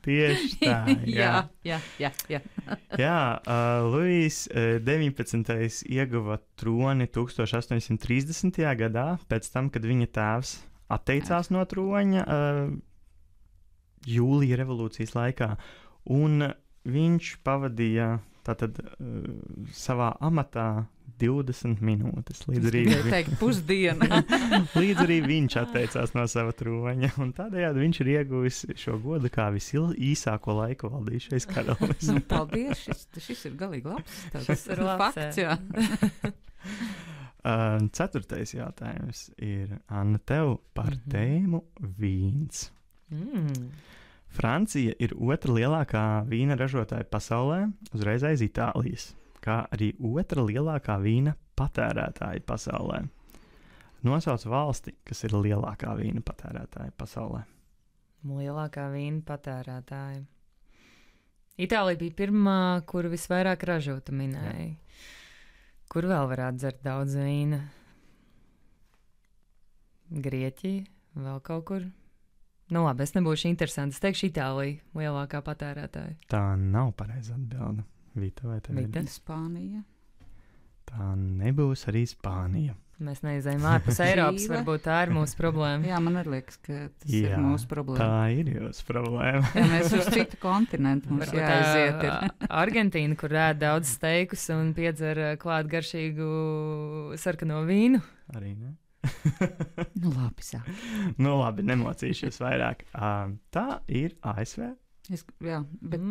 Tieši tā, jā. Jā, Luijs 19. ieguva troni 1830. gadā, pēc tam, kad viņa tēvs atteicās no troņa jūlija revolūcijas laikā, un viņš pavadīja tātad savā amatā 20 minūtes, līdz arī viņš atteicās no sava troņa, un tādējādi viņš ir ieguvis šo godu kā visīsāko laiku valdījušais karalis. Nu, paldies, šis ir galīgi labs. Tas ir fakts, jā. 4. jautājums ir, Anna, tev par tēmu vīns. Francija ir otra lielākā vīna ražotāja pasaulē, uzreiz aiz Itālijas, kā arī otra lielākā vīna patērētāja pasaulē. Nosauc valsti, kas ir lielākā vīna patērētāja pasaulē. Lielākā vīna patērētāja. Itālija bija pirmā, kuru visvairāk ražota minēja. Kur vēl varētu dzert daudz vīna? Grieķija, vēl kaut kur? Nu labi, es nebūšu interesanti. Es teikšu Itālija, lielākā patērētāja. Tā nav pareiza atbilde. Vita, vai tev ir? Spānija. Tā nebūs arī Spānija. Mēs neizējām ārpus Eiropas, varbūt tā ir mūsu problēma. Jā, man arī liekas, ka tas ir mūsu problēma. Tā ir jūsu problēma. Ja mēs uz citu kontinentu mums jāaiziet. Argentīna, kur ēd daudz steikus un piedzer klāt garšīgu sarkano vīnu. Arī ne? Nu labi, sāk. Nu labi, nemocīšos vairāk. Tā ir ASV. Jā, bet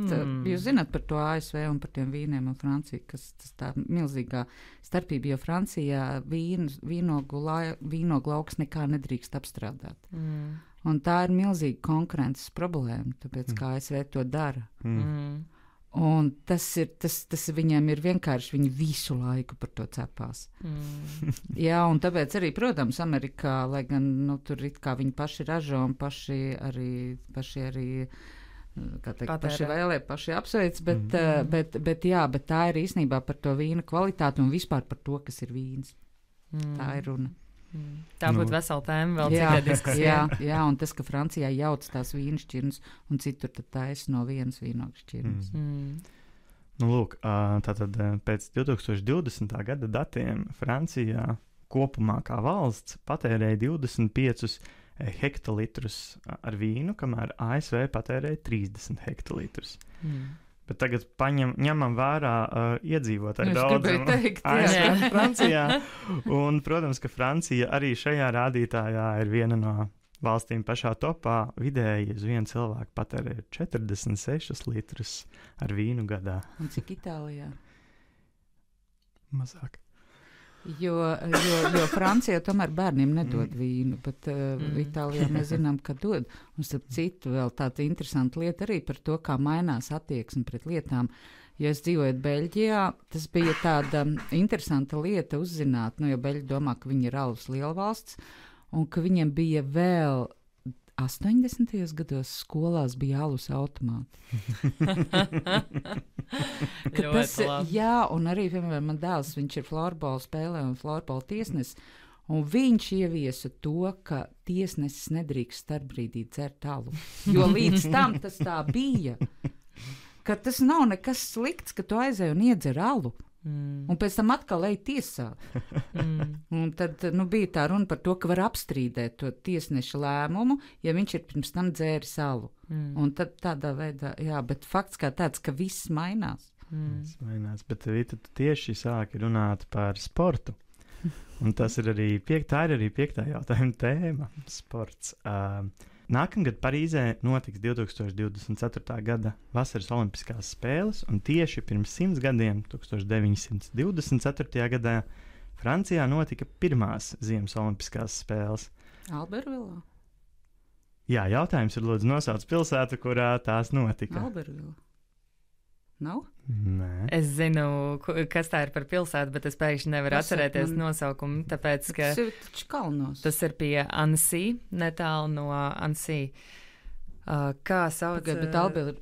jūs zināt par to ASV un par tiem vīniem un Franciju, kas tas tā milzīgā starpība, jo Francijā vīnogu lauks nekā nedrīkst apstrādāt. Un tā ir milzīga konkurences problēma, tāpēc kā ASV to dara. Un tas viņiem ir vienkārši, viņi visu laiku par to cepās. Jā, un tāpēc arī, protams, Amerikā, lai gan, nu, tur it kā viņi paši ražo un paši arī kā teikt, paši vēlē, paši apsveic, bet tā ir īstenībā par to vīna kvalitāti un vispār par to, kas ir vīns. Tā ir runa. Tā būtu vesela tēma vēl citai diskusijai. Jā, un tas, ka Francijā jauc tās vīnšķirnes un citur tad taisa no vienas vīnogšķirnes. Nu, lūk, tātad pēc 2020. gada datiem Francijā kopumā kā valsts patērēja 25 hektolitrus ar vīnu, kamēr ASV patērēja 30 hektolitrus. Bet tagad ņemam vērā iedzīvotāju daudzumu ASV un Francijā. Un, protams, ka Francija arī šajā rādītājā ir viena no valstīm pašā topā. Vidēji uz vienu cilvēku patērē 46 litrus ar vīnu gadā. Un cik Itālijā? Mazāk. Jo Francijā tomēr bērniem nedod vīnu, bet Itālijā mēs zinām, ka dod. Un starp citu vēl tāda interesanta lieta arī par to, kā mainās attieksme pret lietām. Ja es dzīvoju Beļģijā, tas bija tāda interesanta lieta uzzināt, jo Beļģi domā, ka viņi ir alus lielvalsts, un ka viņiem bija vēl 80. gados skolās bija alus automāti. Jā, un arī, piemēram, man dēls, viņš ir florbola spēlē un florbola tiesnesis, un viņš ieviesa to, ka tiesnesis nedrīkst starpbrīdī dzert alu. Jo līdz tam tas tā bija. ka tas nav nekas slikts, ka tu aizēji un iedzer alu. Un pēc tam atkal ej tiesāt. Un tad bija tā runa par to, ka var apstrīdēt to tiesneša lēmumu, ja viņš ir pirms tam dzēris alu. Un tad tādā veidā, jā, bet fakts kā tāds, ka viss mainās. Viss mainās, bet Vita, tu tieši sāki runāt par sportu. Un tas ir arī tā ir arī 5. jautājuma tēma - sports. Nākamgad Parīzē notiks 2024. gada vasaras olimpiskās spēles, un tieši pirms 100 gadiem, 1924. gadā, Francijā notika pirmās ziemas olimpiskās spēles. Albervilā? Jā, jautājums ir, lūdzu, nosauc pilsētu, kurā tās notika. Albervilā. Nav? Nē. Es zinu, kas tā ir par pilsētu, bet es pēkšņi nevaru atcerēties nosaukumu, tāpēc, ka Tas ir taču kalnos. tas ir pie Annecy, netālu no Annecy. Kā sauc? Bet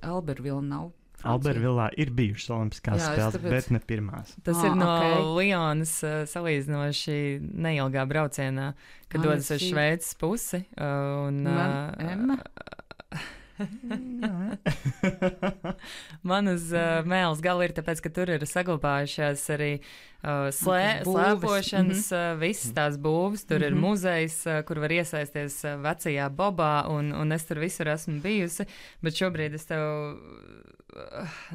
Albervila nav. Albervilā ir bijušas olimpiskās Jā, spēles, tāpēc- bet ne pirmās. Tas ir no ok. Lionas salīdzinoši neilgā braucienā, kad dodas uz Annecy. Šveices pusi. Emma? Man uz mēles gala ir tāpēc, ka tur ir saglabājušās arī Būves. slēpošanas, visas tās būvas. Tur ir muzejs, kur var iesaisties vecajā bobā, un es tur visur esmu bijusi, bet šobrīd es tev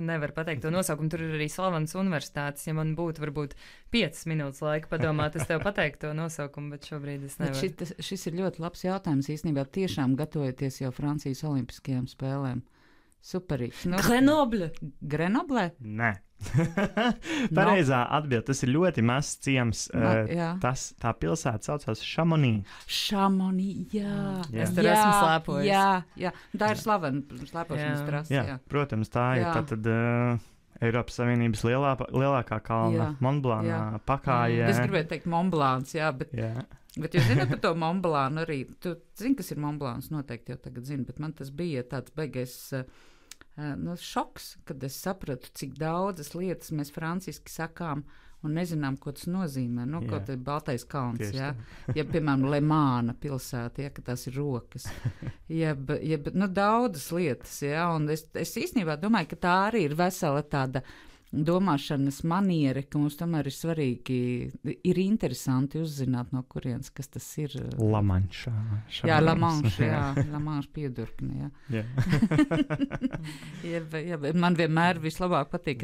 nevaru pateikt to nosaukumu. Tur ir arī slavenas universitātes. Ja man būtu varbūt 5 minūtes laika padomāt, es tev pateiktu to nosaukumu, bet šobrīd es Bet nevaru. šis ir ļoti labs jautājums īstenībā. Tiešām gatavoties jau Francijas olimpiskajām spēlēm. Superīgs. Grenoble? Nē. Pareizā atbilde. Tas ir ļoti mazs ciems. Jā. Tā pilsēta saucās Chamonix. Šamonī, jā. Jā. Es tur esmu slēpojusi. Jā. Tā ir slavena slēpošanas Jā. trasa. Jā, Jā. protams, tā ir Jā. tātad Eiropas Savienības lielākā kalna Jā. Montblanc Jā. pakājē. Es gribēju teikt Montblanc, jā, bet jūs zināt par to Montblanc arī. Tu zini, kas ir Montblanc, noteikti jau tagad zini, bet man tas bija tāds beigais šoks, kad es sapratu, cik daudzas lietas mēs franciski sakām un nezinām, ko tas nozīmē. Ko tas ir Baltais kalns, Tieši jā. Ja, piemēram, Lemāna pilsēta, ja, ka tās ir rokas. Daudzas lietas, jā, un es īstenībā domāju, ka tā arī ir vesela tāda domāšanas maniera, ka mums tomēr ir svarīgi, ir interesanti uzzināt, no kurienes, kas tas ir. La Manche. Jā, La Manche, La Manche piedurkni, jā. Jā, man vienmēr vislabāk patīk,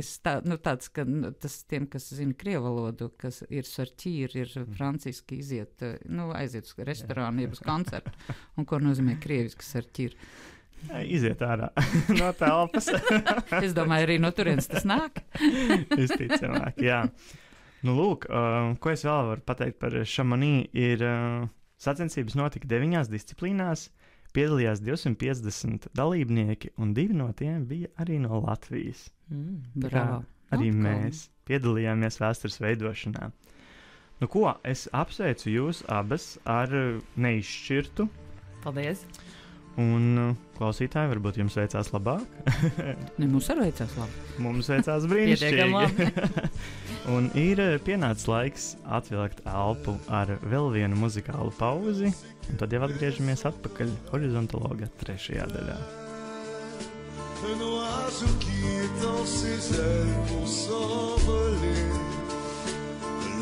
tāds, ka tas tiem, kas zina krievu valodu, kas ir sarķīri, ir franciski iziet, aiziet uz restorānu, jeb uz koncertu, un ko nozīmē krieviski sarķīri. Iziet ārā no telpas. Es domāju, arī no turienes tas nāk. Visticamāk, jā. Lūk, ko es vēl varu pateikt par Chamonix, ir sacensības notika 9 disciplīnās, piedalījās 250 dalībnieki, un 2 no tiem bija arī no Latvijas. Bravo. Arī mēs piedalījāmies vēstures veidošanā. Ko, es apsveicu jūs abas ar neizšķirtu. Paldies! Un klausītāji, varbūt jums veicās labāk. Mums arī veicās labi. Mums veicās Pietiekami brīnišķīgi. Un ir pienācis laiks atvilkt elpu ar vēl vienu muzikālu pauzi, un tad jau atgriežamies atpakaļ horizontologa 3. daļā. Un oiseau qui étend ses ailes pour s'envoler.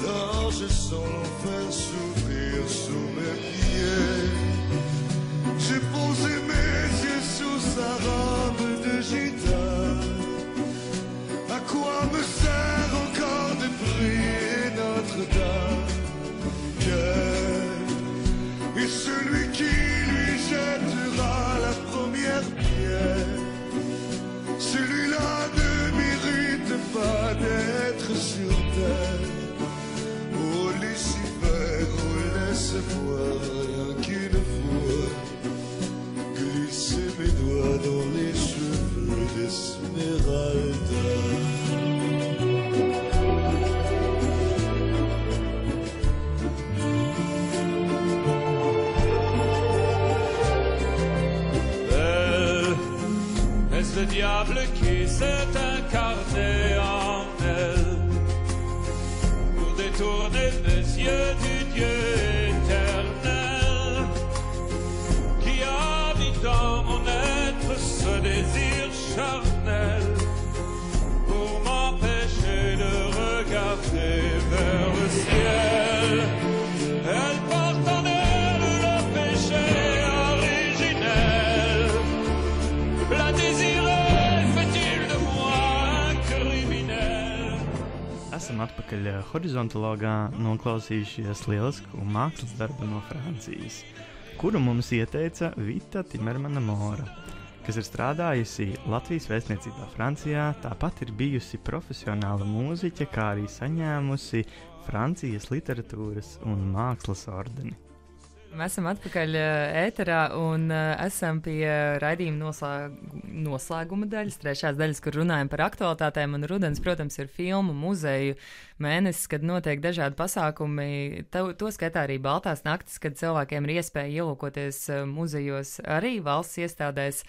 Là je sens l'enfer s'ouvrir sous mes pieds. J'ai posé mes yeux sous sa robe de gitane. À quoi me sert encore de prier Notre-Dame? Et celui qui lui jettera la première pierre, celui-là ne mérite pas d'être sur terre. Oh Lucifer, oh laisse-moi rien qu'une fois glisser mes doigts dans les cheveux d'Esmeralda. Est-ce le diable qui s'est incarné en elle pour détourner mes yeux du Dieu éternel qui a mis dans mon être ce désir charnel esam atpakaļ horizontologā noklausījušies lielisku mākslas darbu no Francijas, kuru mums ieteica Vita Timermana Mora, kas ir strādājusi Latvijas vēstniecībā Francijā, tāpat ir bijusi profesionāla mūziķe, kā arī saņēmusi Francijas literatūras un mākslas ordeni. Mēs esam atpakaļ ēterā un esam pie raidījuma noslēguma daļas, trešās daļas, kur runājam par aktualitātēm. Un rudens, protams, ir filmu, muzeju mēnesis, kad notiek dažādi pasākumi. To skaitā arī Baltās naktis, kad cilvēkiem ir iespēja ielūkoties muzejos arī valsts iestādēs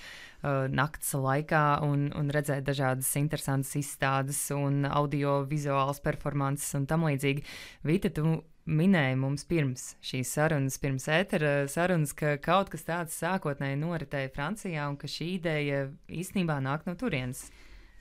nakts laikā un redzēt dažādas interesantas izstādes un audio-vizuālas performances un tam līdzīgi. Vita, tu minēja mums pirms šīs sarunas, pirms ētera sarunas, ka kaut kas tāds sākotnēji noritēja Francijā un ka šī ideja īstenībā nāk no turienes.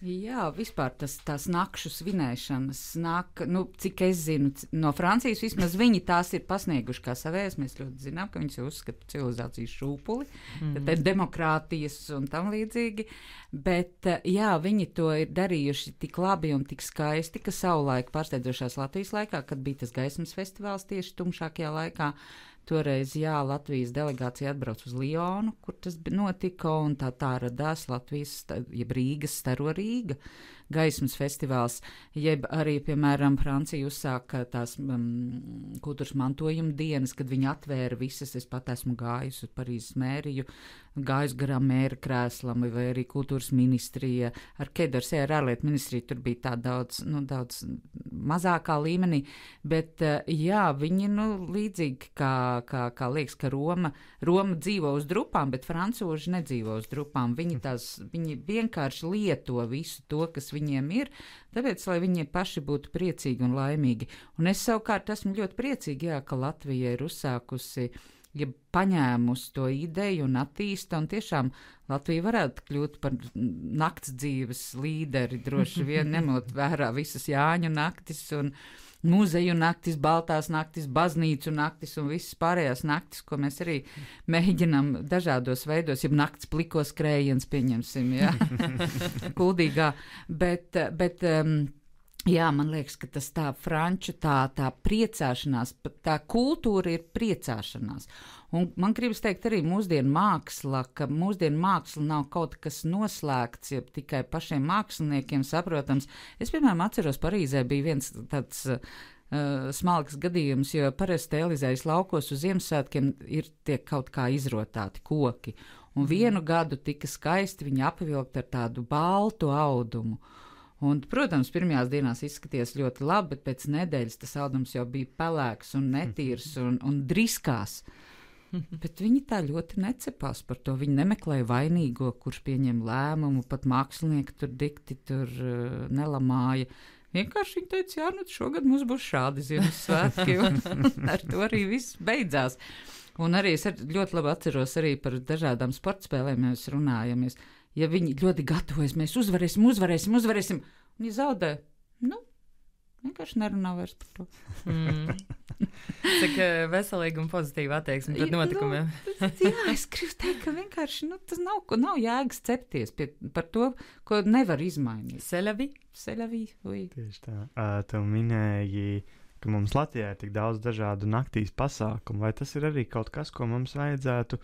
Jā, vispār tās nakšu svinēšanas nāk, cik es zinu, no Francijas vismaz viņi tās ir pasnieguši kā savējas. Mēs ļoti zinām, ka viņas uzskata civilizācijas šūpuli, tad ir demokrātijas un tam līdzīgi. Bet, jā, viņi to ir darījuši tik labi un tik skaisti, ka savulaik pārsteidzošās Latvijas laikā, kad bija tas gaismas festivāls tieši tumšākajā laikā, toreiz, jā, Latvijas delegācija atbrauc uz Lionu, kur tas notika, un tā radās Latvijas, jeb Rīgas Staro Rīga gaismas festivāls, jeb arī, piemēram, Francija uzsāka tās kultūras mantojuma dienas, kad viņi atvēra visas, es pat esmu gājusi uz Parīzes mēriju, gājusi garām mēra krēslam, vai arī kultūras ministrija, ar Kedarsē, ar ārlietu ministriju, tur bija tā daudz mazākā līmenī, bet, jā, viņi, līdzīgi kā liekas, ka Roma dzīvo uz drupām, bet francūži nedzīvo uz drupām, viņi vienkārši lieto visu to, kas viņiem ir, tāpēc, lai viņi paši būtu priecīgi un laimīgi. Un es savukārt esmu ļoti priecīgi, jā, ka Latvija ir uzsākusi, ja paņēmusi to ideju un attīsta, un tiešām Latvija varētu kļūt par nakts dzīves līderi, droši vien ņemot vērā visas Jāņu naktis un muzeju naktis, Baltās naktis, baznīcu naktis un visas pārējās naktis, ko mēs arī mēģinām dažādos veidos, ja nakts plikos skrējiens, pieņemsim, jā, Kuldīgā, bet jā, man liekas, ka tas tā franču, tā priecāšanās, tā kultūra ir priecāšanās. Un man gribas teikt arī mūsdienu māksla, ka mūsdienu māksla nav kaut kas noslēgts, ja tikai pašiem māksliniekiem saprotams. Es, piemēram, atceros, Parīzē bija viens tāds smalks gadījums, jo parasti Elizējas laukos uz Ziemassvētkiem tiek kaut kā izrotāti koki. Un vienu gadu tika skaisti viņi apvilkt ar tādu baltu audumu. Un, protams, pirmajās dienās izskaties ļoti labi, bet pēc nedēļas tas audums jau bija pelēks un netīrs un driskās. Bet viņi tā ļoti necepās par to. Viņi nemeklēja vainīgo, kurš pieņem lēmumu, pat mākslinieki tur dikti nelamāja. Vienkārši viņi teica, jā, šogad mums būs šādi Ziemassvētki, un ar to arī viss beidzās. Un arī es ļoti labi atceros arī par dažādām sportspēlēm, mēs runājamies. Ja viņi ļoti gatavojas, mēs uzvarēsim, un ja zaudē, vienkārši nerunā vairs par to. Cik veselīgi un pozitīvi attieksmi pret notikumiem. Jā, es gribu teikt, ka vienkārši tas nav jēgas cepties par to, ko nevar izmainīt. Selavi, oui. Tieši tā. Tev minēji, ka mums Latvijā ir tik daudz dažādu naktīs pasākumu, vai tas ir arī kaut kas, ko mums vajadzētu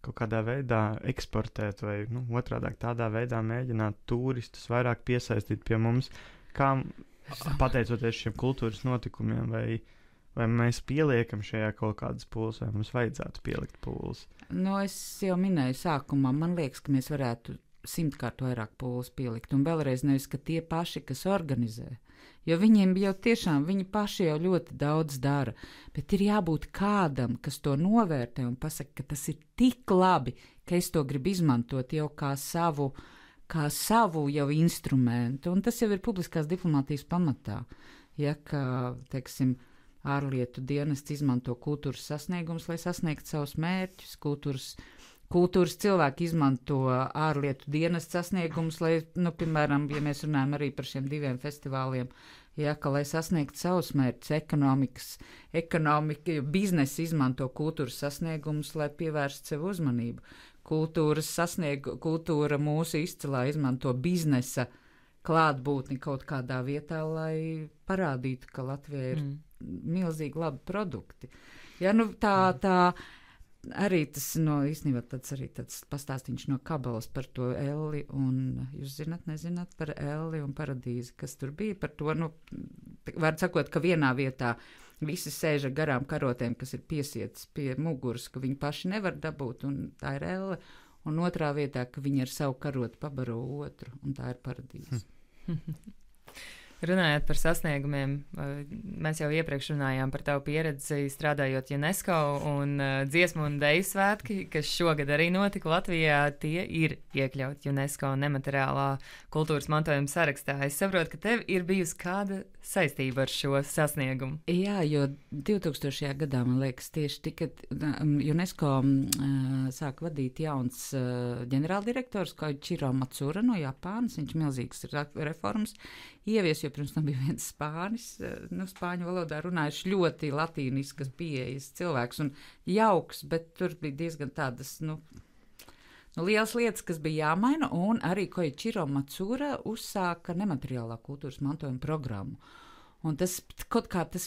kaut kādā veidā eksportēt vai otrādāk tādā veidā mēģināt turistus vairāk piesaistīt pie mums, kā pateicoties šiem kultūras notikumiem, vai mēs pieliekam šajā kaut kādas pūles, vai mums vajadzētu pielikt pūles? Es jau minēju sākumā, man liekas, ka mēs varētu 100-kārt vairāk pūles pielikt, un vēlreiz nevis, ka tie paši, kas organizē, jo viņiem jau tiešām, viņi paši jau ļoti daudz dara, bet ir jābūt kādam, kas to novērtē un pasaka, ka tas ir tik labi, ka es to gribu izmantot jau kā savu jau instrumentu, un tas jau ir publiskās diplomātijas pamatā. Ja, ka, teiksim, ārlietu dienests izmanto kultūras sasniegumus, lai sasniegtu savus mērķus, kultūras cilvēki izmanto ārlietu dienestu sasniegumus, lai, piemēram, ja mēs runājam arī par šiem 2 festivāliem, ja, ka, lai sasniegtu savus mērķus, ekonomika, biznesa izmanto kultūras sasniegumus, lai pievērstu sev uzmanību. Kultūra mūsu izcilā izmanto biznesa klātbūtni kaut kādā vietā, lai parādītu, ka Latvijā ir milzīgi labi produkti. Ja, nu, tā arī tas īstenībā tāds pastāstīns no Kabalas par to Elli, un jūs nezināt par Elli un Paradīzi, kas tur bija par to, var sakot, ka vienā vietā visi sēž ar garām karotēm, kas ir piesietas pie muguras, ka viņi paši nevar dabūt, un tā ir Elle, un otrā vietā, ka viņi ar savu karotu pabaro otru, un tā ir Paradīze. Runājot par sasniegumiem, mēs jau iepriekš runājām par tavu pieredzi strādājot UNESCO un dziesmu un deju svētki, kas šogad arī notika Latvijā, tie ir iekļauti UNESCO nemateriālā kultūras mantojuma sarakstā. Es saprotu, ka tev ir bijusi kāda saistība ar šo sasniegumu. Jā, jo 2000. gadā, man liekas, tieši tika UNESCO sāk vadīt jauns ģenerāldirektors, kā Chiro Matsura no Japānas, viņš milzīgs reformas ievies, jo pirms tam bija viens spānis, spāņu valodā runājuši ļoti latīniskas pieejas cilvēks un jauks, bet tur bija diezgan tādas, lielas lietas, kas bija jāmaina, un arī Koichiro Matsura uzsāka nemateriālā kultūras mantojuma programmu. Un tas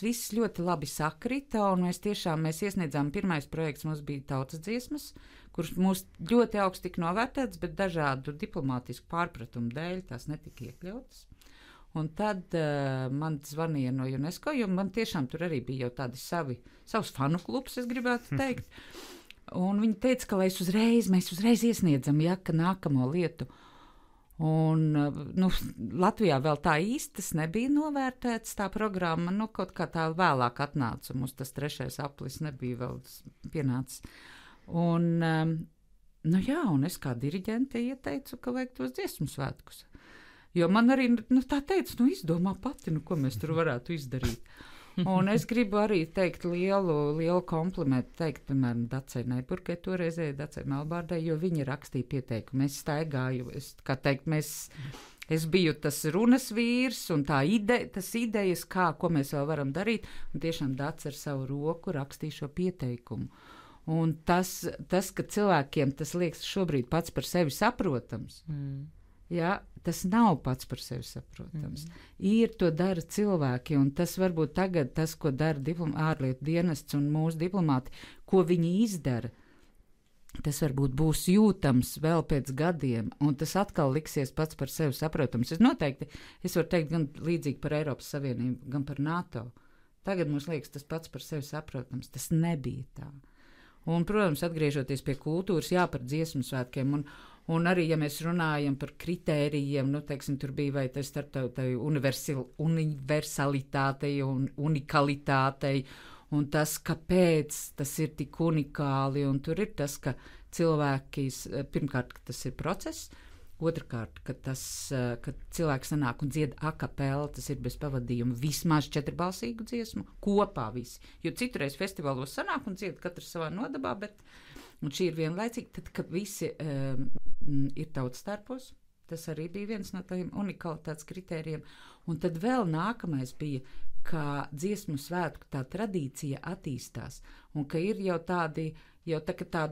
viss ļoti labi sakrita, un mēs iesniedzām pirmais projekts, mums bija tautas dziesmas, kurš mūs ļoti augsti tika novērtēts, bet dažādu diplomātisku pārpratumu dēļ tās netika iekļautas. Un tad man zvanīja no UNESCO, jo man tiešām tur arī bija jau tādi savs fanu klubs, es gribētu teikt. Un viņi teica, ka mēs uzreiz iesniedzam, ka nākamo lietu. Un Latvijā vēl tā īsti tas nebija novērtēts, tā programma, kaut kā tā vēlāk atnāca, mums tas 3. aplis nebija vēl pienācis. Un, un es kā diriģente ieteicu, ka vajag tos dziesmu svētkus. Jo man arī tā teica, izdomā pati, ko mēs tur varētu izdarīt. Un es gribu arī teikt lielu komplimentu, piemēram, Dacei Neiburgai, toreizēji Dacei Melbārdai, jo viņi rakstīja pieteikumu. Es staigāju, es biju tas runas vīrs un tas idejas, ko mēs vēl varam darīt, un tiešām Dace ar savu roku rakstīja šo pieteikumu. Un tas, ka cilvēkiem tas liekas šobrīd pats par sevi saprotams, jā, tas nav pats par sevi saprotams. To dara cilvēki, un tas varbūt tagad, ko dara ārlietu dienests un mūsu diplomāti, ko viņi izdara, tas varbūt būs jūtams vēl pēc gadiem, un tas atkal liksies pats par sevi saprotams. Es varu teikt gan līdzīgi par Eiropas Savienību, gan par NATO. Tagad mums liekas tas pats par sevi saprotams. Tas nebija tā. Un, protams, atgriežoties pie kultūras, par dziesmu svētkiem, un arī, ja mēs runājam par kritērijiem, tur bija vai tas starptautai universalitātei un unikalitātei, un tas, kāpēc tas ir tik unikāli, un tur ir tas, ka cilvēki, pirmkārt, ka tas ir process, otrkārt, ka cilvēks sanāk un dzied a cappella, tas ir bez pavadījuma vismaz 4-balsīgu dziesmu, kopā visi. Jo citreiz festivālos sanāk un dzied katrs savā nodabā, un šī ir vienlaicīgi, tad, kad visi ir tautstarpos, tas arī bija viens no tādiem unikalitātes kritērijiem. Un tad vēl nākamais bija, ka dziesmu svētku tā tradīcija attīstās, un ka ir jau tādi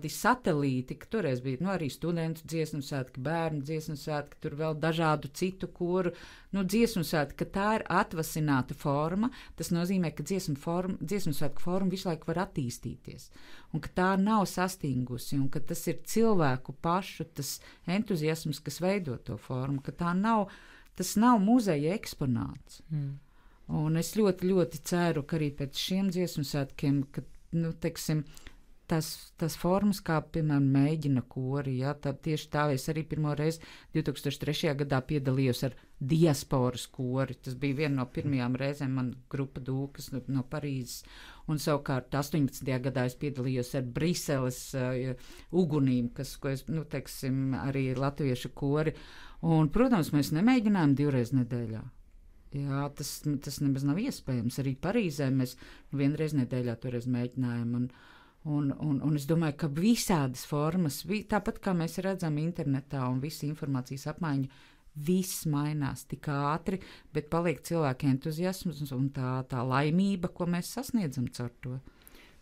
satelīti, ka toreiz bija arī studentu dziesmu svētki, bērnu dziesmu svētki, tur vēl dažādu citu koru dziesmu svētki, ka tā ir atvasināta forma, tas nozīmē, ka dziesmu svētku forma visu laiku var attīstīties, un ka tā nav sastingusi, un ka tas ir cilvēku pašu tas entuziasms, kas veido to formu, ka tas nav muzeja eksponāts. Un es ļoti, ļoti ceru, ka arī pēc šiem dziesmu svētkiem, ka, tas formas, kā, piemēram, mēģina kori, tieši tā es arī pirmo reizi 2003. gadā piedalījos ar diasporas kori. Tas bija viena no pirmajām reizēm man grupa Dūkas no Parīzes, un savukārt 18. gadā es piedalījos ar Briseles ugunīm, ko es, arī latviešu kori. Un, protams, mēs nemēģinājām 2 reizes nedēļā. Jā, tas nemaz nav iespējams. Arī Parīzē mēs 1 reizi nedēļā toreiz mēģinājām, un es domāju, ka visādas formas, tāpat kā mēs redzam internetā un visa informācijas apmaiņa, viss mainās tik ātri, bet paliek cilvēku entuziasms un tā laimība, ko mēs sasniedzam caur to.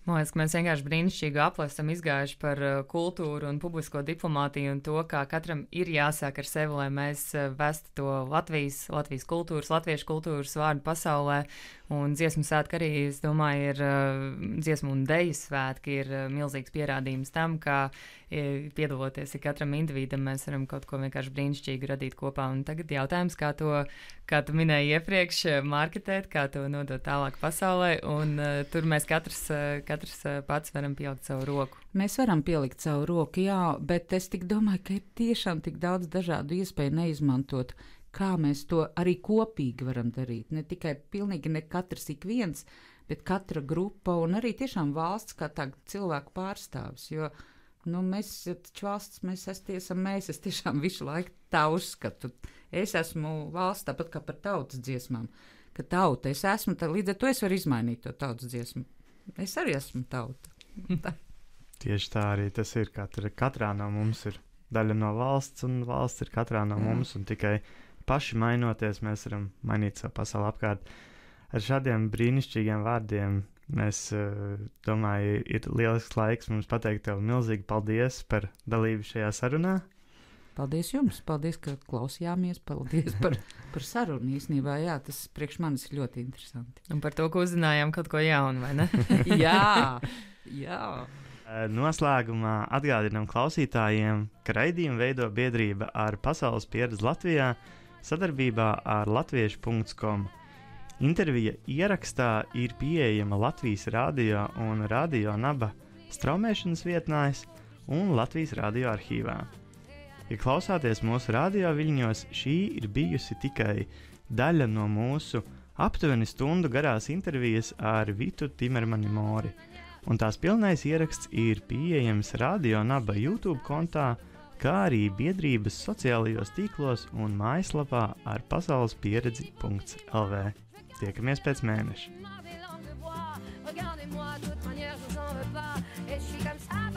Man liekas, ka mēs vienkārši brīnišķīgi apli esam izgājuši par kultūru un publisko diplomātiju un to, kā katram ir jāsāk ar sevi, lai mēs vestu to Latvijas kultūras, latviešu kultūras vārdu pasaulē. Un dziesmu svētki arī, es domāju, ir dziesmu un deju svētki ir milzīgs pierādījums tam, kā piedaloties katram individam, mēs varam kaut ko vienkārši brīnišķīgi radīt kopā. Un tagad jautājums, kā tu minēji iepriekš, marketēt, kā to nodot tālāk pasaulē, un tur mēs katrs pats varam pielikt savu roku. Mēs varam pielikt savu roku, jā, bet es tik domāju, ka ir tiešām tik daudz dažādu iespēju neizmantot, kā mēs to arī kopīgi varam darīt. Ne tikai pilnīgi ne katrs ik viens, bet katra grupa un arī tiešām valsts kā tā cilvēku pārstāvis, jo mēs taču valsts, es tiešām visu laiku tā uzskatu. Es esmu valsts tāpat kā par tautas dziesmām, ka tauta es esmu, līdz ar to es varu izmainīt to tautas dziesmu. Es arī esmu tauta. Tieši tā arī tas ir. Katrā no mums ir daļa no valsts, un valsts ir katrā no mums, un tikai paši mainoties, mēs varam mainīt savu pasauli apkārt. Ar šādiem brīnišķīgiem vārdiem mēs, domāju, ir lielisks laiks mums pateikt tev milzīgi paldies par dalību šajā sarunā. Paldies jums, paldies, ka klausījāmies, paldies par sarunu īstenībā, jā, tas priekš manis ir ļoti interesanti. Un par to, ka uzzinājām kaut ko jaunu, vai ne? Jā. Noslēgumā atgādinām klausītājiem, ka raidījumu veido biedrība ar Pasaules pieredzi Latvijā sadarbībā ar latviešu.com. Intervija ierakstā ir pieejama Latvijas radio un Radio Naba straumēšanas vietnēs un Latvijas radio arhīvā. Ja klausāties mūsu radio viļņos, šī ir bijusi tikai daļa no mūsu aptuveni stundu garās intervijas ar Vitu Timermani Mori, un tās pilnais ieraksts ir pieejams Radio Naba YouTube kontā, kā arī biedrības sociālajos tīklos un mājaslapā ar pasaulespieredzi.lv. Tiekamies pēc mēneša! Regardez-moi, de toute manière, je vous en veux pas. Et je suis comme ça.